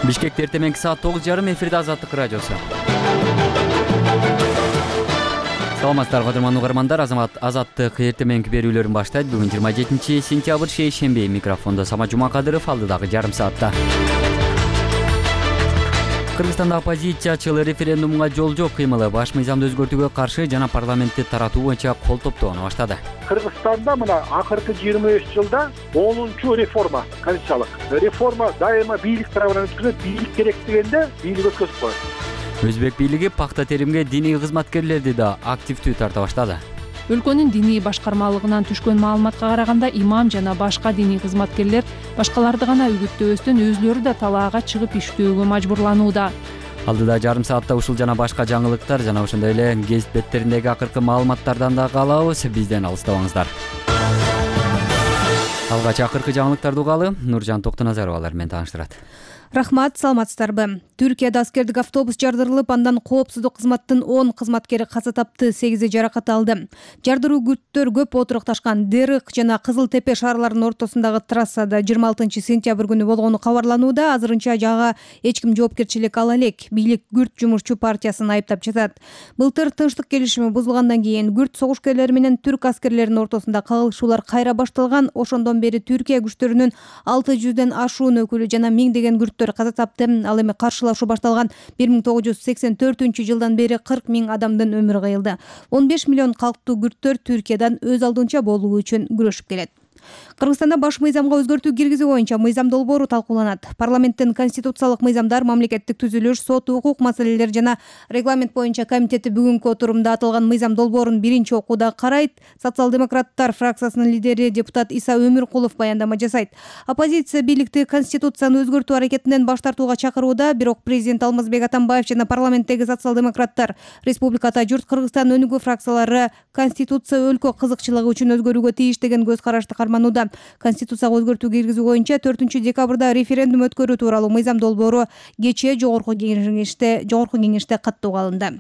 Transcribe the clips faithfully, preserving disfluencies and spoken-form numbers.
Бишкекте эртеменки саат тогуз жарым эфирде Азаттык радиосу. Саламатсыздарбы кадырман угармандар, Азаттык эртеменки берүүлөрүн баштайт. Бүгүн жыйырма жетинчи сентябрь шейшемби. Микрофондо Сама Жумакадыров, алдыдагы жарым саатта. Кыргызстанда оппозициячылар референдумга жол жок кыймылы баш мыйзамды өзгөртүүгө каршы жана парламентти таратуу боюнча кол топтоону баштады. Кыргызстанда мына акыркы жыйырма беш жылда онунчу реформа, конституциялык реформа дайыма бийлик тарабынан өткөрүлөт. Бийлик керек дегенде бийлик өткөзүп коет. Өзбек бийлиги пакта теримге диний кызматкерлерди да активдүү тарта баштады. Өлкөнүн диний башкармалыгынан түшкөн маалыматка караганда имам жана башка диний кызматкерлер башкаларды гана үгүттөөбөстөн өзүлөрү да талаага чыгып иштөөгө мажбурланууда. Алдыда жарым саатта ушул жана башка жаңылыктар жана ошондой эле гезит беттериндеги акыркы маалыматтардан да калабыз. Бизден алыстабаңыздар. Алгач акыркы жаңылыктарды угалы Нуржан Токтоназарова алар менен тааныштырат. Рахмат, саламатсыздарбы. Түркияда аскердик автобус жардырылып, андан коопсуздук кызматтын он кызматкери каза тапты, сегизи жаракат алды. Жардыруу күрттөр көп отурукташкан Дерык жана Кызыл Тепе шаарларынын ортосундагы трассада жыйырма алтынчы сентябрь күнү болгону кабарланууда. Азырынча жага эч ким жоопкерчилик ала элек. Бийлик Күрт жумушчу партиясын айыптап жатат. Былтыр тынчтык келишими бузулгандан кийин Күрт согушкерлери менен түрк аскерлеринин ортосунда кагылышуулар кайра башталган. Ошондон бери Түркия күчтөрүнүн алты жүздөн ашуун өкүлү жана миңдеген күрт каза тапты. Ал эми каршылашуу башталган бир миң тогуз жүз сексен төртүнчү жылдан бери кырк миң адамдын өмүрү кыйылды. он беш миллион калктуу күрттөр Түркиядан өз алдынча болуу үчүн күрөшүп келет. Кыргызстанда баш мыйзамга өзгөртүү киргизүү боюнча мыйзам долбоору талкууланат. Парламенттин конституциялык мыйзамдар, мамлекеттик түзүлүш, сот, укук маселелери жана регламент боюнча комитети бүгүнкү отурумда аталган мыйзам долбоорун биринчи окууда карайт. Социал-демократтар фракциясынын лидери депутат Иса Өмүркулов баяндама жасайт. Оппозиция бийликти конституцияны өзгөртүү аракетинен баш тартууга чакырууда, бирок президент Алмазбек Атамбаев жана парламенттеги социал-демократтар, Республиката журт Кыргызстан өнүгүү фракциялары конституция өлкө кызыкчылыгы үчүн өзгөрүүгө тийиш деген көз карашты карманууда. Конституцияга өзгөртүү киргизүү боюнча төртүнчү декабрда референдум өткөрүү тууралуу мыйзам долбоору кечээ жогорку кеңеште жогорку кеңеште каттоого алынды.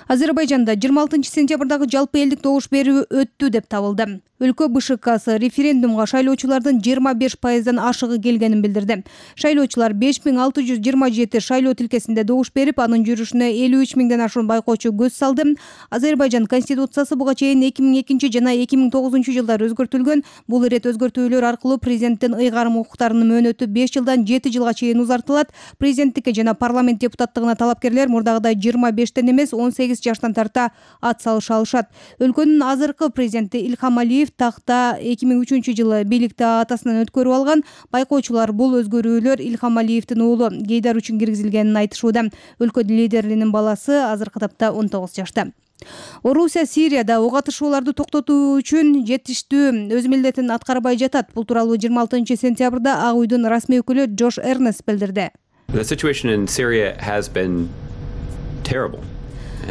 Азербайжанда жыйырма алтынчы сентябрдагы жалпы элдик добуш берүү өттү деп табылды. Өлкө БШКсы референдумга шайлоочулардын жыйырма беш пайыздан ашыгы келгенин билдирди. Шайлоочулар беш миң алты жүз жыйырма жети шайлоо тилкесинде добуш берип, анын жүрүшүнө элүү үч миңден ашуун байкоочу көз салды. Азербайжан конституциясы буга чейин эки миң экинчи жана эки миң тогузунчу жылдары өзгөртүлгөн. Бул ирет өзгөртүүлөр аркылуу президенттин ыйгарым укуктарынын мөөнөтү беш жылдан жети жылга чейин узартылат. Президенттикке жана парламент депутаттыгына талапкерлер мурдагыдай жыйырма бештен эмес он сегиз жаштан тарта ат салыша алышат. Өлкөнүн азыркы президенти Илхам Алиев такта эки миң үчүнчү жылы бийликти атасынан өткөрүп алган. Байкоочулар бул өзгөрүүлөр Илхам Алиевдин уулу Гейдар үчүн киргизилгенин айтышууда. Өлкө лидеринин баласы азыркы тапта он тогуз жашта. Орусия Сирияда ок атышууларды токтотуу үчүн жетиштүү өз милдетин аткарбай жатат. Бул тууралуу жыйырма алтынчы сентябрда Ак уйдун расмий өкүлү Джош Эрнест билдирди. The situation in Syria has been terrible.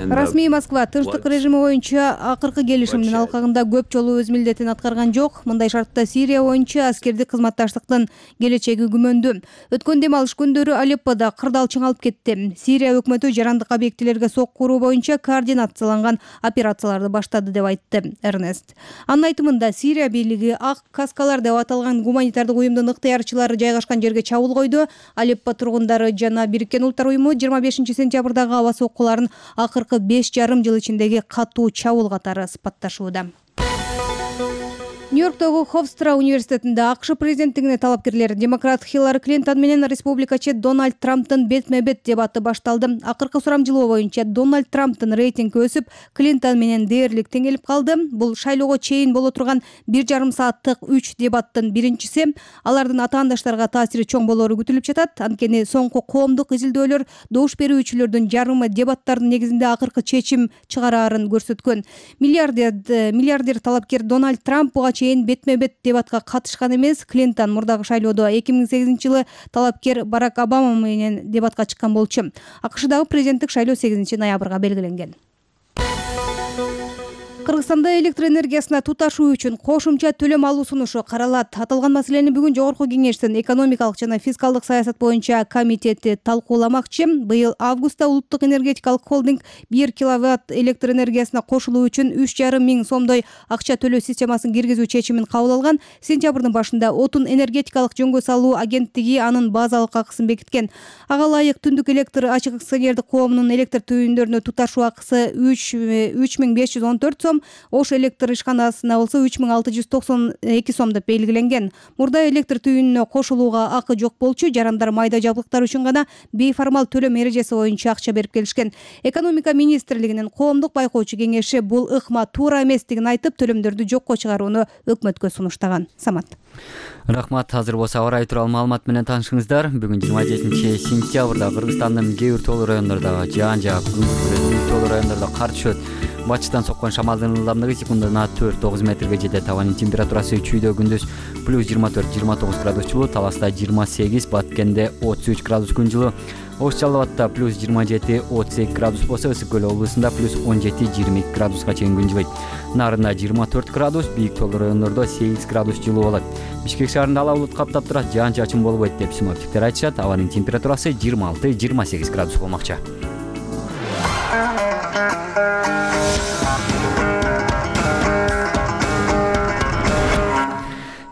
Расмий Москва тынчтык режими боюнча акыркы келишимдин алкагында көп жолу өз милдетин аткарган жок. Мындай шартта Сирия боюнча аскердик кызматташтыктын келечеги күмөндүү. Өткөн дем алыш күндөрү Алеппода кырдаал чыңалып кетти. Сирия өкмөтү жарандык объектилерге сокку уруу боюнча координацияланган операцияларды баштады деп айтты Эрнест. Анын айтымында Сирия бийлиги Ак каскалар деп аталган гуманитардык уюмдун ыктыярчылары жайгашкан жерге чабуул койду. Алеппо тургундары жана Бириккен Улуттар уюму жыйырма бешинчи сентябрдагы аба соккуларын акыр беш жарым жыл ичиндеги катуу чабуул катары сыпатташууда. Нью-Йорктогу Хофстра университетинде АКШ президенттигине талапкерлер демократ Хиллари Клинтон менен республикачы Дональд Трамптын бетме-бет дебаты башталды. Акыркы сурамжылоо боюнча Дональд Трамптын рейтинги өсүп, Клинтон менен дээрлик теңелип калды. Бул шайлоого чейин боло турган бир жарым сааттык үч дебаттын биринчиси. Алардын атаандаштарга таасири чоң болору күтүлүп жатат. Анткени соңку коомдук изилдөөлөр добуш берүүчүлөрдүн жарымы дебаттардын негизинде акыркы чечим чыгараарын көрсөткөн. Миллиардер миллиардер талапкер Дональд Трамп буга бетме-бет дебатка катышкан эмес. Клинтон мурдагы шайлоодо эки миң сегизинчи жылы талапкер Барак Обама менен дебатка чыккан болчу. АКШдагы президенттик шайлоо сегизинчи ноябрга белгиленген. Кыргызстанда электр энергиясына туташуу үчүн кошумча төлөм алуу сунушу каралат. Аталган маселени бүгүн Жогорку Кеңештин экономикалык жана фискалдык саясат боюнча комитети талкууламакчы. Быйыл августта улуттук энергетикалык холдинг бир киловатт электр энергиясына кошулуу үчүн үч жарым миң сомдой акча төлөө системасын киргизүү чечимин кабыл алган. Сентябрдын башында Отун энергетикалык жөнгө салуу агенттиги анын базалык акысын бекиткен. Ага ылайык Түндүк электр ачык акционердик коомунун электр түйүндөрүнө туташуу акысы үч миң беш жүз он төрт сом, Ош электр ишканасына болсо үч миң алты жүз токсон эки сом деп белгиленген. Мурда электр түйүнүнө кошулууга акы жок болчу, жарандар майда жабдыктар үчүн гана бейформал төлөм эрежеси боюнча акча берип келишкен. Экономика министрлигинин коомдук байкоочу кеңеши бул ыкма туура эместигин айтып, төлөмдөрдү жокко чыгарууну өкмөткө сунуштаган. Самат. Рахмат. Азыр болсо аба ырайы тууралуу маалымат менен таанышыңыздар. Бүгүн жыйырма жетинчи сентябрда Кыргызстандын кээ бир тоолуу райондордо жаан жаап, күндүз тоолуу райондордо кар түшөт. Батыштан соккон шамалдын ылдамдыгы секундына төрт тогуз метрге жетет. Абанын температурасы чүйдө күндүз плюс жыйырма төрт жыйырма тогуз градус жылуу, Таласта жыйырма сегиз, Баткенде отуз үч градус күн жылуу, Ош Жалал Абадта плюс жыйырма жети отуз эки градус болсо, Ысык Көл облусунда плюс он жети жыйырма эки градуска чейин күн жылыйт. Нарында жыйырма төрт градус, бийик тоолуу райондордо сегиз градус жылуу болот. Бишкек шаарында ала булут каптап турат, жаан чачын болбойт деп синоптиктер айтышат. Абанын температурасы жыйырма алты жыйырма сегиз градус болмокчу.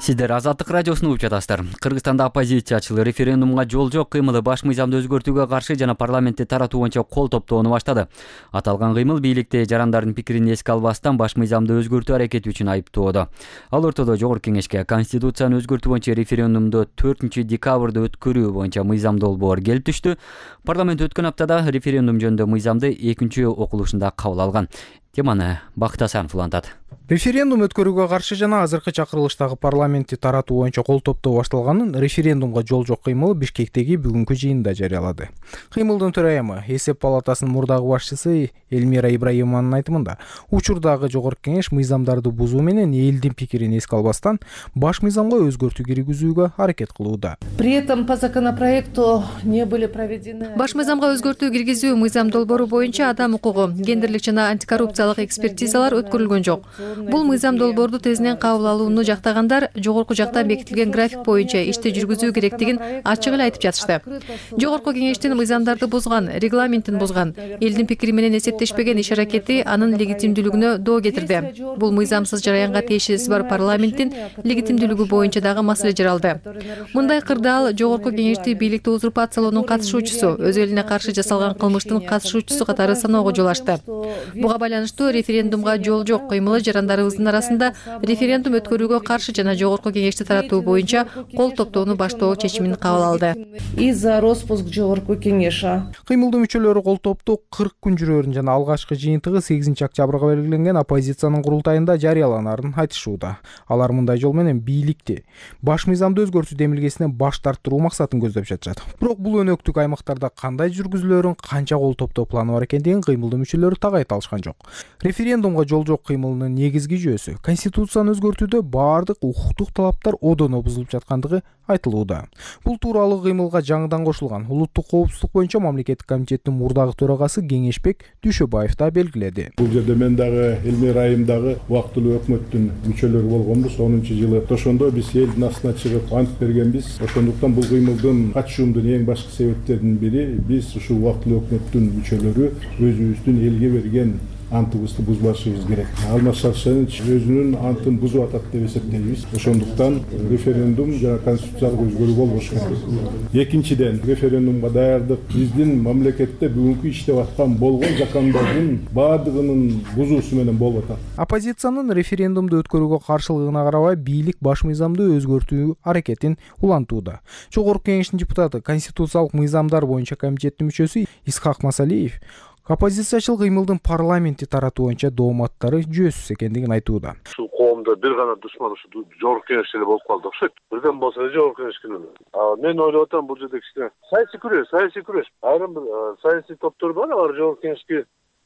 Сиздер Азаттык радиосун угуп жатасыздар. Кыргызстанда оппозициячылар референдумга жол жок кыймылы баш мыйзамды өзгөртүүгө каршы жана парламентти таратуу боюнча кол топтоону баштады. Аталган кыймыл бийликти жарандардын пикирин эске албастан баш мыйзамды өзгөртүү аракети үчүн айыптоодо. Ал ортодо Жогорку Кеңешке Конституцияны өзгөртүү боюнча референдумду төртүнчү декабрда өткөрүү боюнча мыйзам долбоор келип түштү. Парламент өткөн аптада референдум жөнүндө мыйзамды экинчи окулушунда кабыл алган. Теманы Бакыт Асанов улантат. Референдум өткөрүүгө каршы жана азыркы чакырылыштагы парламентти таратуу боюнча кол топтоо башталганын референдумга жол жок кыймылы Бишкектеги бүгүнкү жыйында жарыялады. Кыймылдын төрайымы, Эсеп палатасынын мурдагы башчысы Элмира Ибраимованын айтымында, учурдагы Жогорку Кеңеш мыйзамдарды бузуу менен элдин пикирин эске албастан баш мыйзамга өзгөртүү киргизүүгө аракет кылууда. При этом по законопроекту не были проведены. Баш мыйзамга өзгөртүү киргизүү мыйзам долбоору боюнча адам укугу, гендерлик жана антикоррупциялык экспертизалар өткөрүлгөн жок. Бул мыйзам долбоорду тезинен кабыл алууну жактагандар жогорку жактан бекитилген график боюнча ишти жүргүзүү керектигин ачык эле айтып жатышты. Жогорку Кеңештин мыйзамдарды бузган, регламентин бузган, элдин пикири менен эсептешпеген иш аракети анын легитимдүүлүгүнө доо кетирди. Бул мыйзамсыз жараянга тиешеси бар парламенттин легитимдүүлүгү боюнча дагы маселе жаралды. Мындай кырдаал Жогорку Кеңешти бийликти узурпациялоонун катышуучусу, өз элине каршы жасалган кылмыштын катышуучусу катары саноого жол ачты. Буга байланыштуу референдумга жол жок кыймылы жарандарыбыздын арасында референдум өткөрүүгө каршы жана Жогорку Кеңешти таратуу боюнча кол топтоону баштоо чечимин кабыл алды. И за распуск Жогорку Кеңеша. Кыймылдын мүчөлөрү кол топтоо кырк күн жүрөрүн жана алгачкы жыйынтыгы сегизинчи октябрга белгиленген оппозициянын курултайында жарыяланарын айтышууда. Алар мындай жол менен бийликти баш мыйзамды өзгөртүү демилгесине баш тарттыруу максатын көздөп жатышат. Бирок бул өнөктүк аймактарда кандай жүргүзүлөрүн, канча кол топтоо планы бар экендигин кыймылдын мүчөлөрү так айта алышкан жок. Референдумга жол жок кыймылынын негизги жүйөсү Конституцияны өзгөртүүдө баардык укуктук талаптар одоно бузулуп жаткандыгы айтылууда. Бул тууралуу кыймылга жаңыдан кошулган улуттук коопсуздук боюнча мамлекеттик комитеттин мурдагы төрагасы Кеңешбек Дүйшөбаев да белгиледи. Бул жерде мен дагы Элмир айымдагы убактылуу өкмөттүн мүчөлөрү болгонбуз. онунчу жылы ошондо биз элдин астына чыгып ант бергенбиз. Ошондуктан бул кыймылдын катышуумдун эң башкы себептеринин бири биз ушул убактылуу өкмөттүн мүчөлөрү өзүбүздүн элге берген антыбызды бузбашыбыз керек. Алмаз Шаршенович өзүнүн антын бузуп атат деп эсептейбиз. Ошондуктан референдум жана конституциялык өзгөрүү болбош керек. Экинчиден, референдумга даярдык биздин мамлекетте бүгүнкү иштеп аткан болгон закондордун баардыгынын бузуусу менен болуп атат. Оппозициянын референдумду өткөрүүгө каршылыгына карабай бийлик баш мыйзамды өзгөртүү аракетин улантууда. Жогорку Кеңештин депутаты, конституциялык мыйзамдар боюнча комитеттин мүчөсү Исхак Масалиев оппозициячыл кыймылдын парламентти таратуу боюнча дооматтары жүйөсүз экендигин айтууда. Ушул коомдо бир гана душман ушу Жогорку Кеңеш эле болуп калды окшойт. Бирден болсо эле Жогорку Кеңеш күнү. Мен ойлоп атам бул жерде кичине саясий күрөш, саясий күрөш. Айрым бир саясий топтор бар, алар Жогорку Кеңешке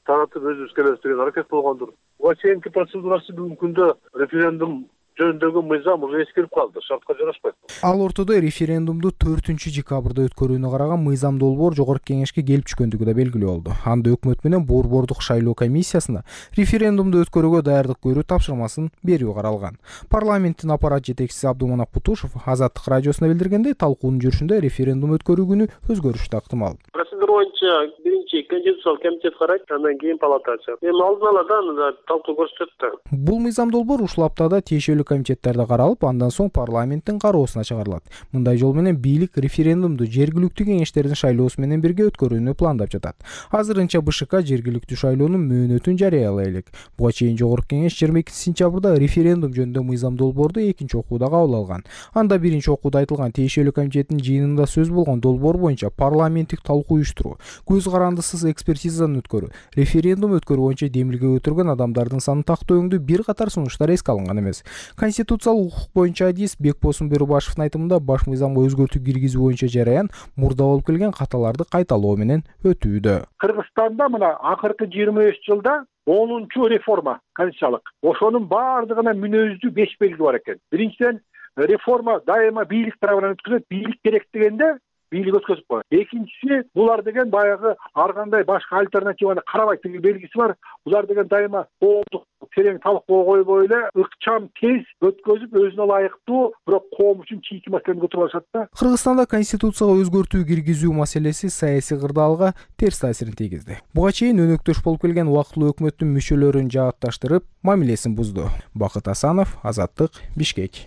таратып өзүбүз келебиз деген аракет болгондур. Буга чейинки процедурасы бүгүнкү күндө референдум жөнүндөгү мыйзам уже эскирип калды, шартка жарашпайт. Ал ортодо референдумду төртүнчү декабрда өткөрүүнү караган мыйзам долбоор жогорку кеңешке келип түшкөндүгү да белгилүү болду. Анда өкмөт менен борбордук шайлоо комиссиясына референдумду өткөрүүгө даярдык көрүү тапшырмасын берүү каралган. Парламенттин аппарат жетекчиси Абдуманап Кутушев Азаттык радиосуна билдиргендей, талкуунун жүрүшүндө референдум өткөрүү күнү өзгөрүш да ыктымал. Процедура боюнча биринчи конституциялык комитет карайт, андан кийин палата ачат. Эми алдын ала да анда талкуу көрсөтөт да. Бул мыйзам долбоор ушул аптада тиешелүү комитеттерде каралып, андан соң парламенттин кароосуна чыгарылат. Мындай жол менен бийлик референдумду жергиликтүү кеңештердин шайлоосу менен бирге өткөрүүнү пландап жатат. Азырынча БШК жергиликтүү шайлоонун мөөнөтүн жарыялай элек. Буга чейин жогорку кеңеш жыйырма экинчи сентябрда референдум жөнүндө мыйзам долбоорду экинчи окууда кабыл алган. Анда биринчи окууда айтылган тиешелүү комитеттин жыйынында сөз болгон долбоор боюнча парламенттик талкуу уюштуруу, көз карандысыз экспертизаны өткөрүү, референдум өткөрүү боюнча демилге өтүргөн адамдардын санын тактоо өңдүү бир катар сунуштар эске алынган эмес. Конституциялык укук боюнча адис Бекбосун Берубашевдин айтымында баш мыйзамга өзгөртүү киргизүү боюнча жараян мурда болуп келген каталарды кайталоо менен өтүүдө. Кыргызстанда мына акыркы жыйырма беш жылда онунчу реформа конституциялык. Ошонун баардыгына мүнөздүү беш белги бар экен. Биринчиден, реформа дайыма бийлик тарабынан өткөзүлөт. Бийлик керек дегенде бийлик өткөзүп коет. Экинчиси, булар деген баягы ар кандай башка альтернативаны карабайт деген белгиси бар. Булар деген дайыма коомдук терең талкууга койбой эле ыкчам тез өткөзүп, өзүнө ылайыктуу, бирок коом үчүн чийки маселени көтөрүп алышат да. Кыргызстанда конституцияга өзгөртүү киргизүү маселеси саясий кырдаалга терс таасирин тийгизди. Буга чейин өнөктөш болуп келген убактылуу өкмөттүн мүчөлөрүн жаатташтырып, мамилесин бузду. Бакыт Асанов, Азаттык, Бишкек.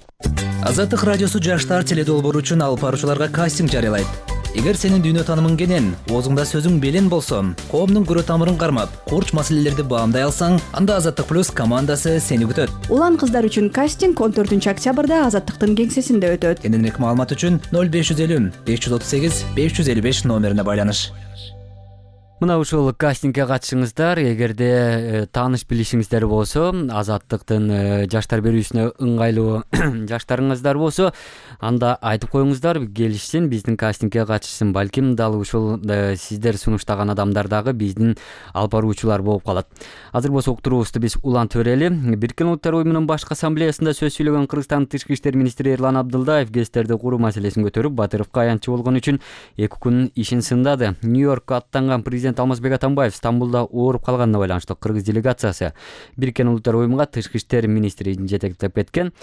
Азаттык радиосу жаштар теледолбоору үчүн алып баруучуларга кастинг жарыялайт. Эгер сенин дүйнө таанымың кенен, оозуңда сөзүң белен болсо, коомдун көрө тамырын кармап, курч маселелерди баамдай алсаң, анда Азаттык плюс командасы сени күтөт. Улан кыздар үчүн кастинг он төртүнчү октябрда Азаттыктын кеңсесинде өтөт. Кененирээк маалымат үчүн ноль беш жүз элүү беш жүз отуз сегиз беш жүз элүү беш номерине байланыш. Мына ушул кастингге катышыңыздар. Эгерде тааныш билишиңиздер болсо, Азаттыктын жаштар берүүсүнө ыңгайлуу жаштарыңыздар болсо, анда айтып коюңуздар, келишсин, биздин кастингге катышсын. Балким дал ушул сиздер сунуштаган адамдар дагы биздин алып баруучулар болуп калат. Азыр болсо уктуруубузду биз улантып берели. Бириккен Улуттар уюмунун башкы ассамблеясында сөз сүйлөгөн Кыргызстандын тышкы иштер министри Эрлан Абдылдаев ГЭСтерди куруу маселесин көтөрүп, Батыровго аянтчы болгон үчүн эки күн ишин сындады. Нью-Йоркко аттанган президент Алмазбек Атамбаев Стамбулда ооруп калганына байланыштуу кыргыз делегациясы Бириккен Улуттар уюмуга тышкы иштер министрин жетектеп кеткен.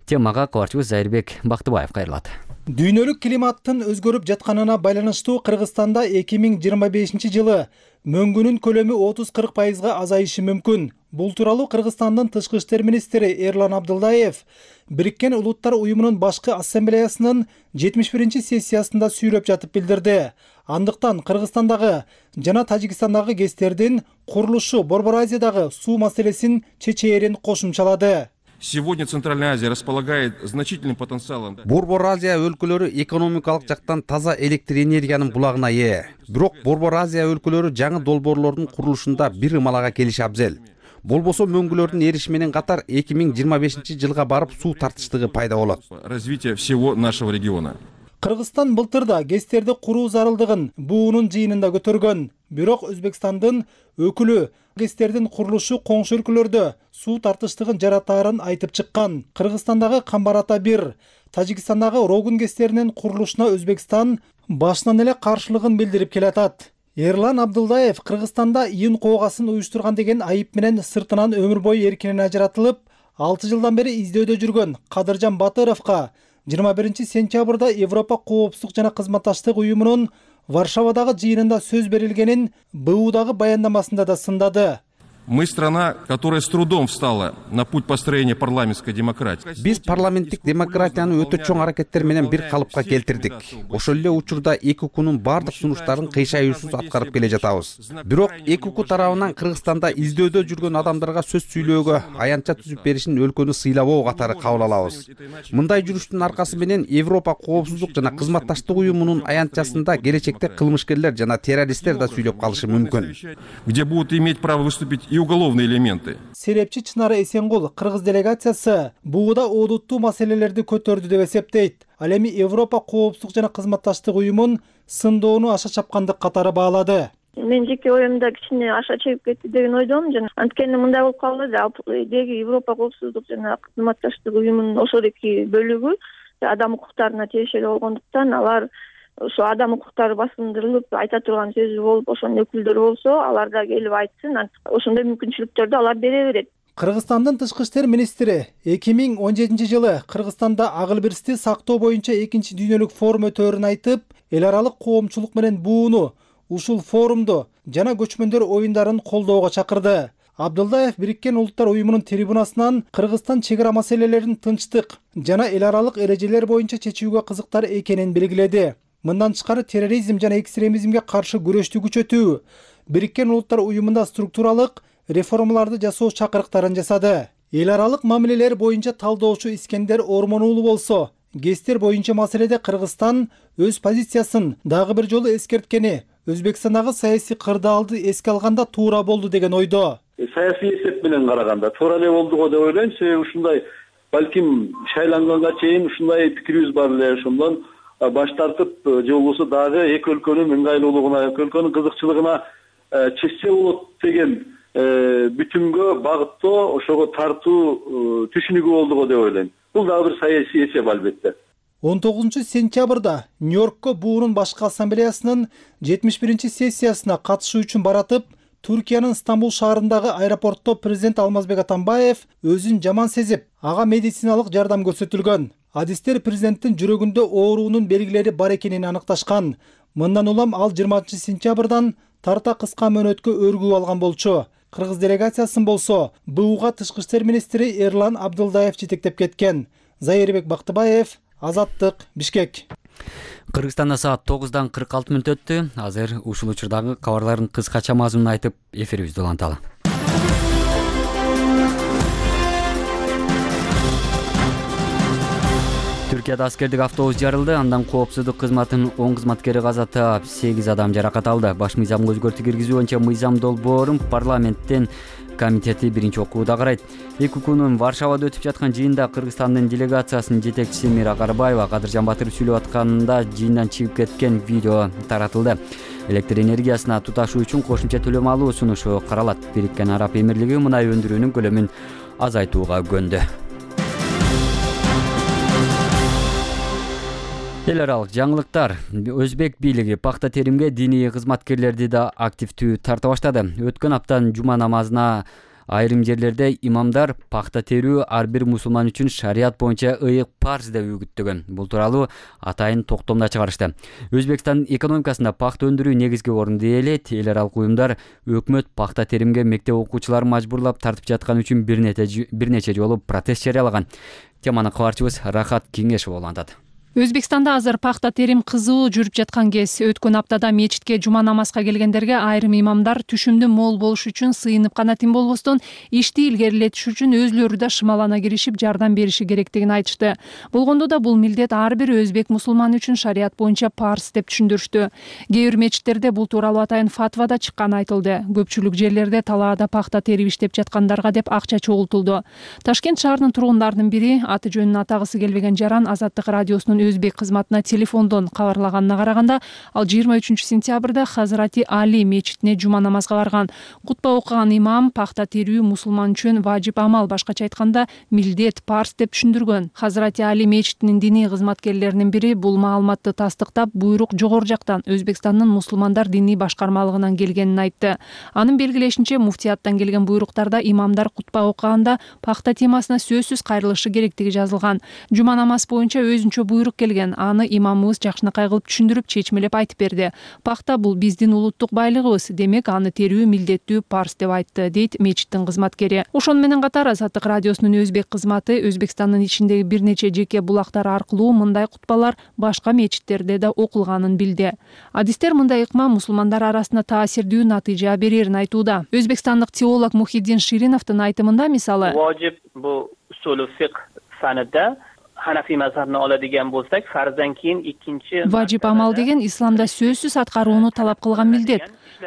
Темага кабарчыбыз Зайырбек Бактыбаев кайрылат. Дүйнөлүк климаттын өзгөрүп жатканына байланыштуу Кыргызстанда эки миң жыйырма бешинчи жылы мөңгүнүн көлөмү отуз кырк пайызга азайышы мүмкүн. Бул тууралуу Кыргызстандын тышкы иштер министри Эрлан Абдылдаев Бириккен Улуттар уюмунун башкы ассамблеясынын жетимиш биринчи сессиясында сүйлөп жатып билдирди. Андыктан Кыргызстандагы жана Тажикстандагы ГЭСтердин курулушу Борбор Азиядагы суу маселесин чечээрин кошумчалады. Сегодня Центральная Азия располагает значительным потенциалом. Борбор Азия өлкөлөрү экономикалык жактан таза электр энергиянын булагына ээ. Бирок Борбор Азия өлкөлөрү жаңы долбоорлордун курулушунда бир ымалага келиши абзел. Болбосо мөңгүлөрдүн эриши менен катар эки миң жыйырма бешинчи жылга барып суу тартыштыгы пайда болот. Развитие всего нашего региона. Кыргызстан былтырда ГЭСтерди куруу зарылдыгын буунун жыйынында көтөргөн. Бирок Өзбекстандын өкүлү ГЭСтердин курулушу коңшу өлкөлөрдө суу тартыштыгын жаратаарын айтып чыккан. Кыргызстандагы Камбар-Ата бир, Тажикстандагы Рогун ГЭСтеринин курулушуна Өзбекстан башынан эле каршылыгын билдирип келатат. Эрлан Абдылдаев Кыргызстанда июн коогасын уюштурган деген айып менен сыртынан өмүр бою эркинен ажыратылып, алты жылдан бери издөөдө жүргөн Кадыржан Батыровго жыйырма биринчи сентябрда Европа коопсуздук жана кызматташтык уюмунун Варшавадагы жыйынында сөз берилгенин Б Удагы баяндамасында да сындады. Мы страна, которая с трудом встала на путь построения парламентской демократии. Биз парламенттик демократияны өтө чоң аракеттер менен бир калыпка келтирдик. Ошол эле учурда эки укунун бардык сунуштарын кыйшайуусуз аткарып келе жатабыз. Бирок эки уку тарабынан Кыргызстанда издөөдө жүргөн адамдарга сөз сүйлөөгө аянтча түзүп беришин өлкөнү сыйлабоо катары кабыл алабыз. Мындай жүрүштүн аркасы менен Европа коопсуздук жана кызматташтык уюмунун аянтчасында келечекте кылмышкерлер жана террористтер да сүйлөп калышы мүмкүн. Где будут иметь право выступить и уголовные элементы. Серепчи Чынары Эсенгул кыргыз делегациясы бууда оодуттуу маселелерди көтөрдү деп эсептейт. Ал эми Европа коопсуздук жана кызматташтык уюмун сындоону аша чапкандык катары баалады. Мен жеке оюмда кичине аша чегип кетти деген ойдомун. Жана анткени мындай болуп калды деги Европа коопсуздук жана кызматташтык уюмунун ошодоки бөлүгү адам укуктарына тиешелүү болгондуктан алар ошо адам укуктары басындырылып айта турган сөзү болуп ошонун өкүлдөрү болсо алар да келип айтсын, ошондой мүмкүнчүлүктөрдү алар бере берет. Кыргызстандын тышкы иштер министри эки миң он жетинчи жылы Кыргызстанда акыл бирсти сактоо боюнча экинчи дүйнөлүк форум өтөөрүн айтып, эл аралык коомчулук менен бууну ушул форумду жана көчмөндөр оюндарын колдоого чакырды. Абдулдаев Бириккен Улуттар уюмунун трибунасынан Кыргызстан чек ара маселелерин тынчтык жана эл аралык эрежелер боюнча чечүүгө кызыктар экенин белгиледи. Мындан тышкары терроризм жана экстремизмге каршы күрөштү күчөтүү, Бириккен Улуттар уюмунда структуралык реформаларды жасоо чакырыктарын жасады. Эл аралык мамилелер боюнча талдоочу Искендер Ормон уулу болсо, ГЭСтер боюнча маселеде Кыргызстан өз позициясын дагы бир жолу эскерткени Өзбекстандагы саясий кырдаалды эске алганда туура болду деген ойдо. Саясий эсеп менен караганда туура эле болду го деп ойлойм. Себеби ушундай балким шайланганга чейин ушундай пикирибиз бар эле. Ошондон баш тартып же болбосо дагы эки өлкөнүн ыңгайлуулугуна, эки өлкөнүн кызыкчылыгына чечсе болот деген бүтүмгө багыттоо, ошого тартуу түшүнүгү болду го деп ойлойм. Бул дагы бир саясий эсеп албетте. он тогузунчу сентябрда Нью-Йоркко буунун башкы ассамблеясынын жетимиш биринчи сессиясына катышуу үчүн баратып, Түркиянын Стамбул шаарындагы аэропортто президент Алмазбек Атамбаев өзүн жаман сезип, ага медициналык жардам көрсөтүлгөн. Адистер президенттин жүрөгүндө оорунун белгилери бар экенин аныкташкан. Мындан улам ал жыйырманчы сентябрдан тарта кыска мөөнөткө өргүп алган болчу. Кыргыз делегациясын болсо БУга тышкы иштер министри Эрлан Абдулдаев жетектеп кеткен. Зайырбек Бактыбаев, Азаттык, Бишкек. Кыргызстанда саат тогуздан кырк алты мүнөт өттү. Азыр ушул учурдагы кабарлардын кыскача мазмунун айтып, эфирибизди уланталы. Түркияда аскердик автобус жарылды. Андан коопсуздук кызматынын он кызматкери каза таап, сегиз адам жаракат алды. Баш мыйзамга өзгөртүү киргизүү боюнча мыйзам долбоорун парламенттин комитети биринчи окууда карайт. Эки күнүн Варшавада өтүп жаткан жыйында Кыргызстандын делегациясынын жетекчиси Мира Карбаева Кадыржан Батыров сүйлөп атканда жыйындан чыгып кеткен видео таратылды. Электр энергиясына туташуу үчүн кошумча төлөм алуу сунушу каралат. Бириккен Араб Эмирлиги мунай өндүрүүнүн көлөмүн азайтууга көнді. Эл аралык жаңылыктар. Өзбек бийлиги пахта теримге диний кызматкерлерди да активдүү тарта баштады. Өткөн аптанын жума намазына айрым жерлерде имамдар пахта терүү ар бир мусулман үчүн шарият боюнча ыйык парз деп үгүттөгөн. Бул тууралуу атайын токтомдо чыгарышты. Өзбекстандын экономикасында пахта өндүрүү негизги орунду ээлейт. Эл аралык уюмдар өкмөт пахта теримге мектеп окуучуларын мажбурлап тартып жаткан үчүн бир нече жолу протест жарыялаган. Теманы кабарчыбыз Рахат Кеңешов улантат. Өзбекстанда азыр пахта терим кызуу жүрүп жаткан кез. Өткөн аптада мечитке жума намазга келгендерге айрым имамдар түшүмдү мол болуш үчүн сыйынып гана тим болбостон ишти илгерилетиш үчүн өзүлөрү да шымалана киришип жардам бериши керектигин айтышты. Болгондо да бул милдет ар бир өзбек мусулманы үчүн шарият боюнча парз деп түшүндүрүштү. Кээ бир мечиттерде бул тууралуу атайын фатва да чыкканы айтылды. Көпчүлүк жерлерде талаада пахта терип иштеп жаткандарга деп акча чогултулду. Ташкент шаарынын тургундарынын бири аты жөнүн атагысы келбеген жаран Азаттык радиосунун өзбек кызматына телефондон кабарлаганына караганда, ал жыйырма үчүнчү сентябрда Хазрати Али мечитине жума намазга барган. Кутба окуган имам пахта терүү мусулман үчүн важип амал, башкача айтканда милдет, парз деп түшүндүргөн. Хазрати Али мечитинин диний кызматкерлеринин бири бул маалыматты тастыктап, буйрук жогору жактан Өзбекстандын мусулмандар диний башкармалыгынан келгенин айтты. Анын белгилешинче, муфтияттан келген буйруктарда имамдар кутба окуганда пахта темасына сөзсүз кайрылышы керектиги жазылган. Жума намаз боюнча өзүнчө буйрук келген. Аны имамыбыз жакшынакай кылып түшүндүрүп, чечмелеп айтып берди. Пахта бул биздин улуттук байлыгыбыз, демек аны терүү милдеттүү, парз деп айтты, дейт мечиттин кызматкери. Ошону менен катар Азаттык радиосунун өзбек кызматы Өзбекстандын ичиндеги бир нече жеке булактар аркылуу мындай кутбалар башка мечиттерде да окулганын билди. Адистер мындай ыкма мусулмандар арасында таасирдүү натыйжа берерин айтууда. Өзбекстандык теолог Мухиддин Шириновдун айтымында, мисалы, важип бу усулу фикх фанында Hanafi mazhabini oladigan bo'lsak, farzdan keyin ikkinchi важип амал деген исламда сөзсүз аткарууну талап кылган милдет.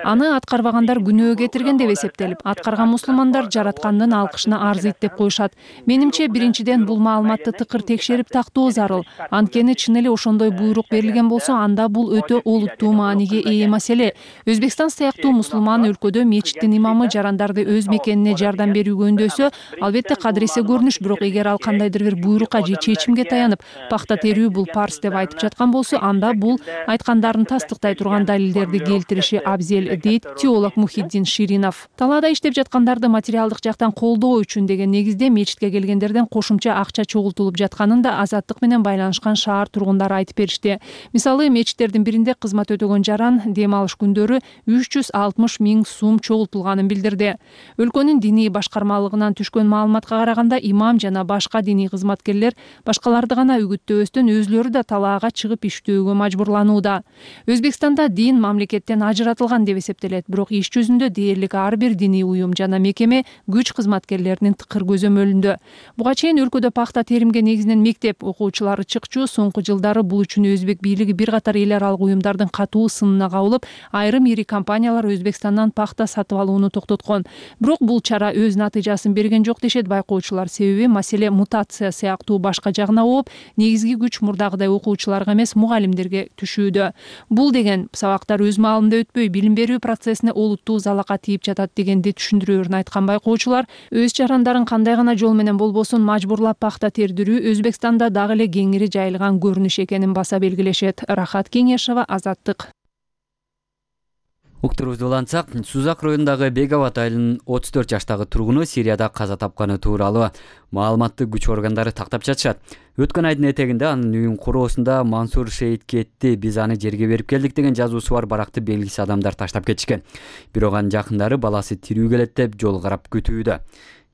Аны аткарбагандар күнөө кетирген деп эсептелип, аткарган мусулмандар жараткандын алкышына арзыйт деп коюшат. Менимче, биринчиден бул маалыматты тыкыр текшерип тактоо зарыл. Анткени чын эле ошондой буйрук берилген болсо, анда бул өтө олуттуу мааниге ээ маселе. Өзбекстан сыяктуу мусулман өлкөдө мечиттин имамы жарандарды өз мекенине жардам берүүгө үндөсө, албетте кадыресе көрүнүш, бирок эгер ал кандайдыр бир буйрукка же чечимге таянып, пахта терүү бул парс деп айтып жаткан болсо, анда бул айткандарын тастыктай турган далилдерди келтириши абзел, дейт теолог Мухиддин Ширинов. Талаада иштеп жаткандарды материалдык жактан колдоо үчүн деген негизде мечитке келгендерден кошумча акча чогултулуп жатканын да азаттык менен байланышкан шаар тургундары айтып беришти. Мисалы, мечиттердин биринде кызмат өтөгөн жаран дем алыш күндөрү үч жүз алтымыш миң сум чогултулганын билдирди. Өлкөнүн диний башкармалыгынан түшкөн маалыматка караганда, имам жана башка диний кызматкерлер башкаларды гана үгүттөбөстөн өзлөрү да талаага чыгып иштөөгө мажбурланууда. Өзбекстанда дин мамлекеттен ажыратылган деп эсептелет, бирок иш жүзүндө дээрлик ар бир диний уюм жана мекеме күч кызматкерлеринин тыкыр көзөмөлүндө. Буга чейин өлкөдө пахта теримге негизинен мектеп окуучулары чыкчу. Соңку жылдары бул үчүн өзбек бийлиги бир катар эл аралык уюмдардын катуу сынына кабылып, айрым ири компаниялар Өзбекстандан пахта сатып алууну токтоткон. Бирок бул чара өз натыйжасын берген жок дешет байкоочулар. Себеби маселе мутация сыяктуу башка жагына ооп, негизги күч мурдагыдай окуучуларга эмес, мугалимдерге түшүүдө. Бул деген сабактар өз маалында өтпөй, билим берүү процессине олуттуу залака тийип жатат дегенди түшүндүрөөрүн айткан байкоочулар, өз жарандарын кандай гана жол менен болбосун мажбурлап пахта тердирүү Өзбекстанда дагы эле кеңири жайылган көрүнүш экенин баса белгилешет. Рахат Кеңешова, Азаттык. Уктурубузду улантсак, Сузак районундагы Бегават айылынын отуз төрт жаштагы тургуну Сирияда каза тапканы тууралуу маалыматты күч органдары тактап жатышат. Өткөн айдын этегинде анын үйүн куроосунда Мансур шейит кетти, биз аны жерге берип келдик деген жазуусу бар баракты белгисиз адамдар таштап кетишкен. Бирок анын жакындары баласы тирүү келет деп жол карап күтүүдө.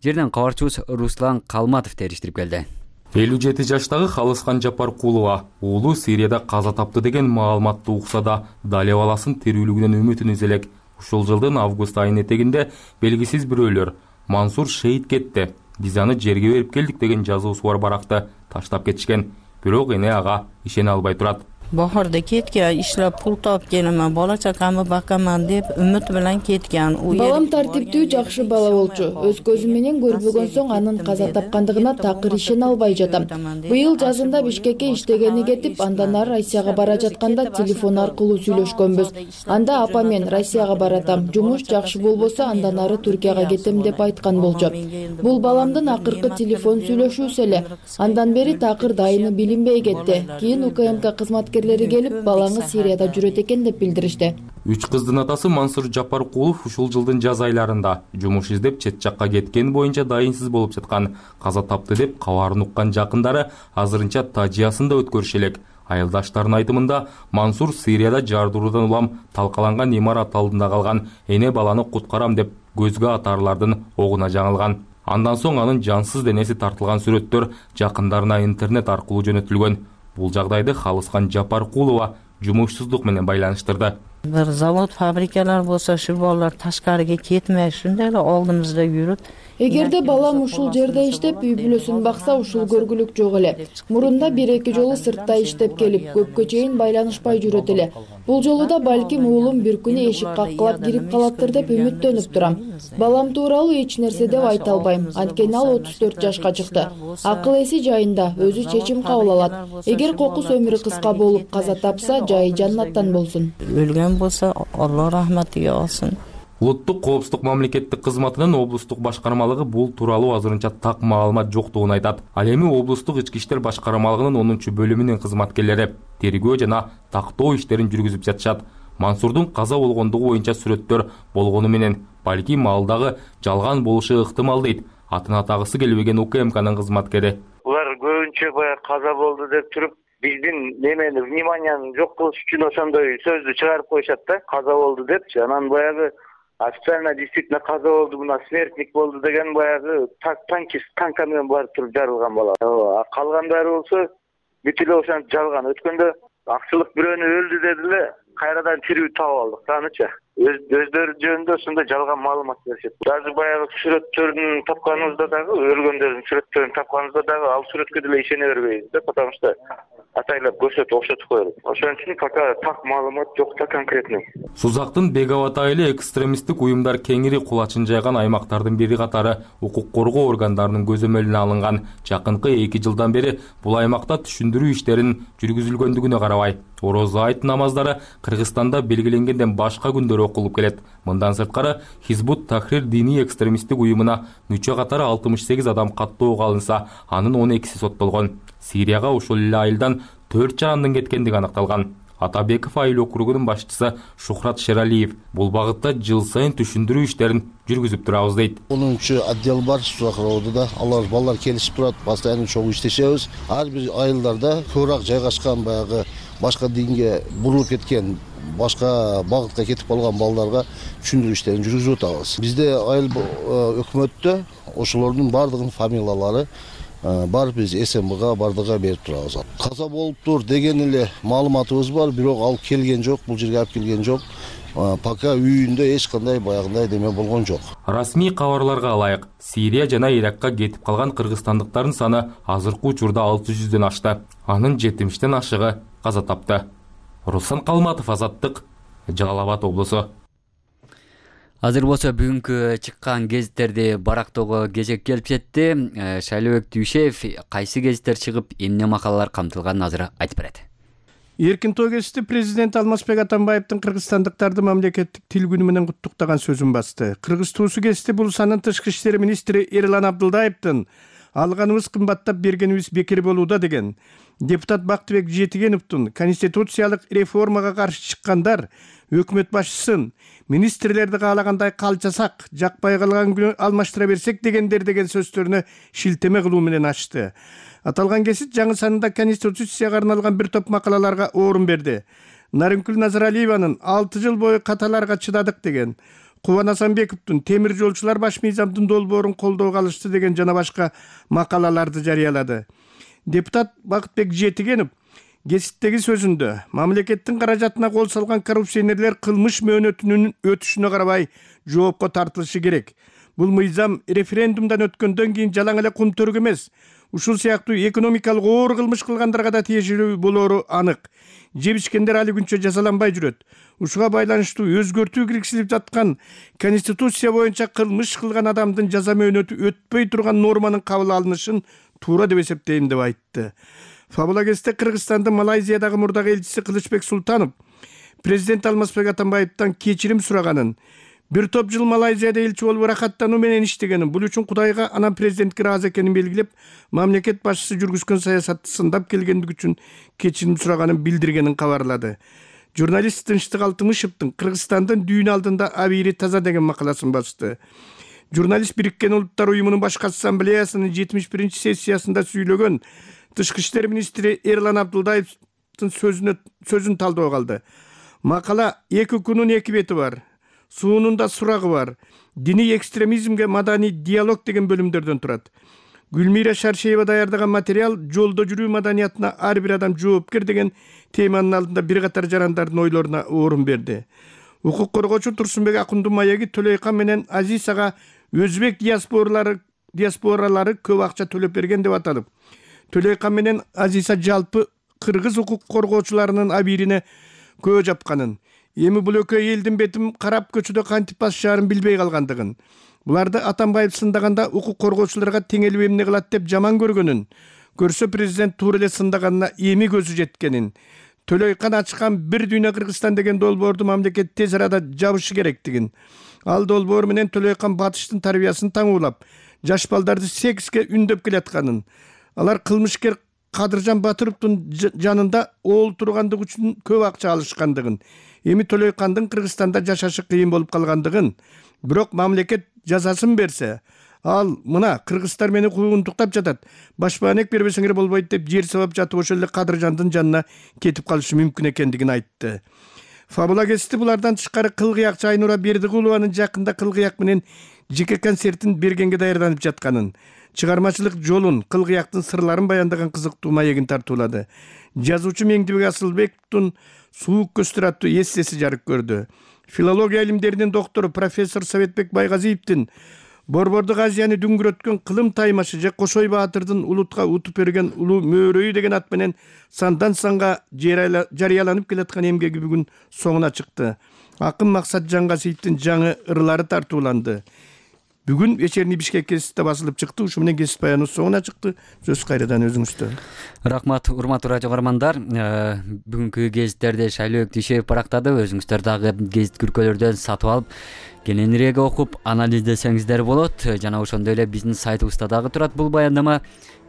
Жерден кабарчыбыз Руслан Калматов териштирип келди. элүү жети жаштагы Халыскан Жапаркулова уулу Сирияда каза тапты деген маалыматты укса да, дали баласынын тирүүлүгүнөн үмүтүн үз элек. Ушул жылдын август айынын этегинде белгисиз бирөөлөр Мансур шейит кетти, биз аны жерге берип келдик деген жазуусу бар баракты таштап кетишкен. Бирок эне ага ишене албай турат. Bahorda ketgan, ishlab pul topib kelaman, bola chaqamni boqaman deb umid bilan ketgan. Балам тартиптүү, жакшы бала болчу. Өз көзүм менен көрбөгөн соң анын каза тапкандыгына такыр ишене албай жатам. Быйыл жазында Бишкекке иштегени кетип, андан ары Россияга бара жатканда телефон аркылуу сүйлөшкөнбүз. Анда апа мен Россияга баратам, жумуш жакшы болбосо андан ары Түркияга кетем деп айткан болчу. Бул баламдын акыркы телефон сүйлөшүүсү эле. Андан бери такыр дайыны билинбей кетти. Кийин УКМК кызматкерлери келип, балаңыз Сирияда жүрөт экен деп билдиришти. Үч кыздын атасы Мансур Жапаркулов ушул жылдын жаз айларында жумуш издеп чет жакка кеткен боюнча дайынсыз болуп жаткан, каза тапты деп кабарын уккан жакындары азырынча Тажиясын да өткөрүш элек. Айылдаштардын айтымында Мансур Сирияда жардыруудан улам талкаланган имарат алдында калган, эне баланы куткарам деп көзгө атарлардын огуна жаңылган. Андан соң анын жансыз денеси тартылган сүрөттөр жакындарына интернет аркылуу жөнөтүлгөн. Бул жагдайды Халыскан Жапаркулова жумушсуздук менен байланыштырды. Bir zavod, fabrikalar bo'lsa, shu bolalar tashqariga ketmay, shunday эле oldimizda yurib, Эгерде балам ушул жерде иштеп, үй бүлөсүн бакса, ушул көргүлүк жок эле. Мурунда бир эки жолу сыртта иштеп келип, көпкө чейин байланышпай жүрөт эле. Бул жолу да балким уулум бир күнү эшик каккылап кирип калаттыр деп үмүттөнүп турам. Балам тууралуу эч нерсе деп айта албайм, анткени ал отуз төрт жашка чыкты. Акыл эси жайында, өзү чечим кабыл алат. Эгер кокус өмүрү кыска болуп каза тапса, жайы жаннаттан болсун. Өлгөн болсо, Алла рахматыга алсын. Улуттук коопсуздук мамлекеттик кызматынын облустук башкармалыгы бул тууралуу азырынча так маалымат жоктугун айтат. Ал эми облустук ички иштер башкармалыгынын онунчу бөлүмүнүн кызматкерлери тергөө жана тактоо иштерин жүргүзүп жатышат. Мансурдун каза болгондугу боюнча сүрөттөр болгону менен балким ал дагы жалган болушу ыктымал дейт атын атагысы келбеген УКМКнын кызматкери. Улар көбүнчө баягы каза болду деп туруп, биздин немени вниманияны жок кылыш үчүн ошондой сөздү чыгарып коюшат да, каза болду депчи. Анан баягы официально действительно каза болду, мына смертник болду деген баягы танкист танка менен барып туруп жарылган бала. Калгандары болсо бүт эле ошентип жалган. Өткөндө акчылык бирөөнү өлдү дедиле, кайрадан тирүү таап алдык, таанычы. өз өздөрү жөнүндө ушундай жалган маалымат беришет. Даже баягы сүрөттөрүн тапканыбызда дагы, өлгөндөрдүн сүрөттөрүн тапканыбызда дагы ал сүрөткө деле ишене бербейбиз да, потому что атайлап көрсөтүп окшотуп коелу. Ошон үчүн пока так маалымат жок да конкретный. Сузактын Беговат айылы экстремисттик уюмдар кеңири кулачын жайган аймактардын бири катары укук коргоо органдарынын көзөмөлүнө алынган. Жакынкы эки жылдан бери бул аймакта түшүндүрүү иштерин жүргүзүлгөндүгүнө карабай, орозо айт намаздары Кыргызстанда белгиленгенден башка күндөр окулуп келет. Мындан сырткары Хизбут Тахрир диний экстремисттик уюмуна мүчө катары алтымыш сегиз адам каттоого алынса, анын он экиси соттолгон. Сирияга ошол эле айылдан төрт жарандын кеткендиги аныкталган. Атабеков айыл округунун башчысы Шухрат Шералиев бул багытта жыл сайын түшүндүрүү иштерин жүргүзүп турабыз дейт. онунчу отдел бар Сузакроодо, алар балдар келишип турат, постоянно чогуу иштешебиз. Ар бир айылдарда көбүрөөк жайгашкан баягы башка динге бурулуп кеткен, башка багытка кетип калган балдарга түшүндүрүү иштерин жүргүзүп атабыз. Бизде айыл өкмөттө ошолордун бардыгынын фамилиялары бар, биз эс эм бга бардыга берип турабыз. Каза болуптур деген эле маалыматыбыз бар, бирок ал келген жок, бул жерге алып келген жок. Пока үйүндө эч кандай баягындай деме болгон жок. Расмий кабарларга ылайык, Сирия жана Иракка кетип калган кыргызстандыктардын саны азыркы учурда алты жүздөн ашты. Анын жетимиштен ашыгы каза тапты. Руслан Калматов, Азаттык, Жалал Абад облусу. Азыр болсо бүгүнкү чыккан гезиттерди барактоого кезек келип жетти. Шайлообек Дүйшеев кайсы гезиттер чыгып, эмне макалалар камтылганын азыр айтып берет. Эркин тоо кечти президент Алмазбек Атамбаевдин кыргызстандыктарды мамлекеттик тил күнү менен куттуктаган сөзүн басты. Кыргыз туусу кечти Булусанын тышкы иштер министри Эрлан Абдылдаевдин алганыбыз кымбаттап, бергенибиз бекер болууда деген. Депутат Бактыбек Жетигеновдун конституциялык реформага каршы чыккандар өкмөт башчысын министрлерди каалагандай калчасак, жакпай калган күнү алмаштыра берсек дегендер деген сөздөрүнө шилтеме кылуу менен ачты. Аталган кесит жаңы санында конституцияга арналган бир топ макалаларга орун берди. Нарынкүл Назаралиеванын алты жыл бою каталарга чыдадык деген, Кубан Асанбековдун темир жолчулар баш мыйзамдын долбоорун колдоого алышты деген жана башка макалаларды жарыялады. Депутат Бактыбек Жетигенов гезиттеги сөзүндө мамлекеттин каражатына кол салган коррупционерлер кылмыш мөөнөтүнүн өтүшүнө карабай жоопко тартылышы керек. Бул мыйзам референдумдан өткөндөн кийин жалаң эле кумтөрүк эмес, ушул сыяктуу экономикалык оор кылмыш кылгандарга да тиешелүү болоору анык. Жебишкендер али күнчө жазаланбай жүрөт. Ушуга байланыштуу өзгөртүү киргизилип жаткан конституция боюнча кылмыш кылган адамдын жаза мөөнөтү өтпөй турган норманын кабыл алынышын туура деп эсептейм деп айтты. Фабулагесте Кыргызстандын Малайзиядагы мурдагы элчиси Кылычбек Султанов президент Алмазбек Атамбаевден кечирим сураганын, бир топ жыл Малайзияда элчи болуп ырахаттануу менен иштегенин, бул үчүн Кудайга анан президентке ыраазы экенин белгилеп, мамлекет башчысы жүргүзгөн саясатты сындап келгендиги үчүн кечирим сураганын билдиргенин кабарлады. Журналист Тынчтык Алтымышевдин Кыргызстандын дүйүн алдында абийири таза деген макаласын басты. Журналист Бириккен Улуттар уюмунун башкы ассамблеясынын жетимиш биринчи сессиясында сүйлөгөн Тышкы иштер министри Эрлан Абдылдаевдин сөзүнө сөзүн талдоого алды. Макала эки күнүн эки бети бар. Суунун да сурагы бар. Диний экстремизмге маданий диалог деген бөлүмдөрдөн турат. Гүлмира Шаршеева даярдаган материал жолдо жүрүү маданиятына ар бир адам жоопкер деген теманын алдында бир катар жарандардын ойлоруна орун берди. Укук коргоочу Турсунбек Акундун маеги Төлөйкан менен Азисага өзбек диаспоралары диаспоралары көп акча төлөп берген деп аталып, Төлөйкан менен Азиса жалпы кыргыз укук коргоочуларынын абийирине көө жапканын, эми бул экөө элдин бетин карап көчөдө кантип басышаарын билбей калгандыгын, буларды Атамбаев сындаганда укук коргоочуларга теңелип эмне кылат деп жаман көргөнүн, көрсө президент туура эле сындаганына эми көзү жеткенин, Төлөйкан ачкан бир дүйнө Кыргызстан деген долбоорду мамлекет тез арада жабышы керектигин, ал долбоор менен Төлөйкан батыштын тарбиясын таңуулап, жаш балдарды секске үндөп келатканын, алар кылмышкер Кадыржан Батыровдун жанында оол тургандыгы үчүн көп акча алышкандыгын, эми Төлөйкандын Кыргызстанда жашашы кыйын болуп калгандыгын, бирок мамлекет жазасын берсе, ал мына кыргыздар мени куугунтуктап жатат, башпаанек бербесеңер болбойт деп жер сабап жатып ошол эле Кадыржандын жанына кетип калышы мүмкүн экендигин айтты. Фабулагести булардан тышкары Кылгыякчы Айнура Бердигулованын жакында Кылгыяк менен жеке концертин бергенге даярданып жатканын, чыгармачылык жолун, Кылгыяктын сырларын баяндаган кызыктуу маегин тартуулады. Жазуучу Меңдибек Асылбектин Суук көздөр аттуу эссеси жарык көрдү. Филология илимдеринин доктору профессор Советбек Байгазиевдин Борбордук Азияны дүңгүрөткөн кылым таймашы же Кошой Баатырдын улутка утуп берген улуу мөөрөйү деген ат менен сандан санга жарыяланып келаткан эмгеги бүгүн соңуна чыкты. Акын Максат Жангасиевдин жаңы ырлары тартууланды. Бүгүн вечерний Бишкек гезитте басылып чыкты. Ушу менен гезит баяны соңуна чыкты. Сөз кайрадан өзүңүздө. Рахмат, урматтуу радио көрөрмандар. Бүгүнкү гезиттерди Шайлоок Дүйшөев барактады. Өзүңүздөр дагы гезит күркөлөрдөн сатып алып, кененирээк окуп, анализдесеңиздер болот. Жана ошондой эле биздин сайтыбызда дагы турат бул баяндама.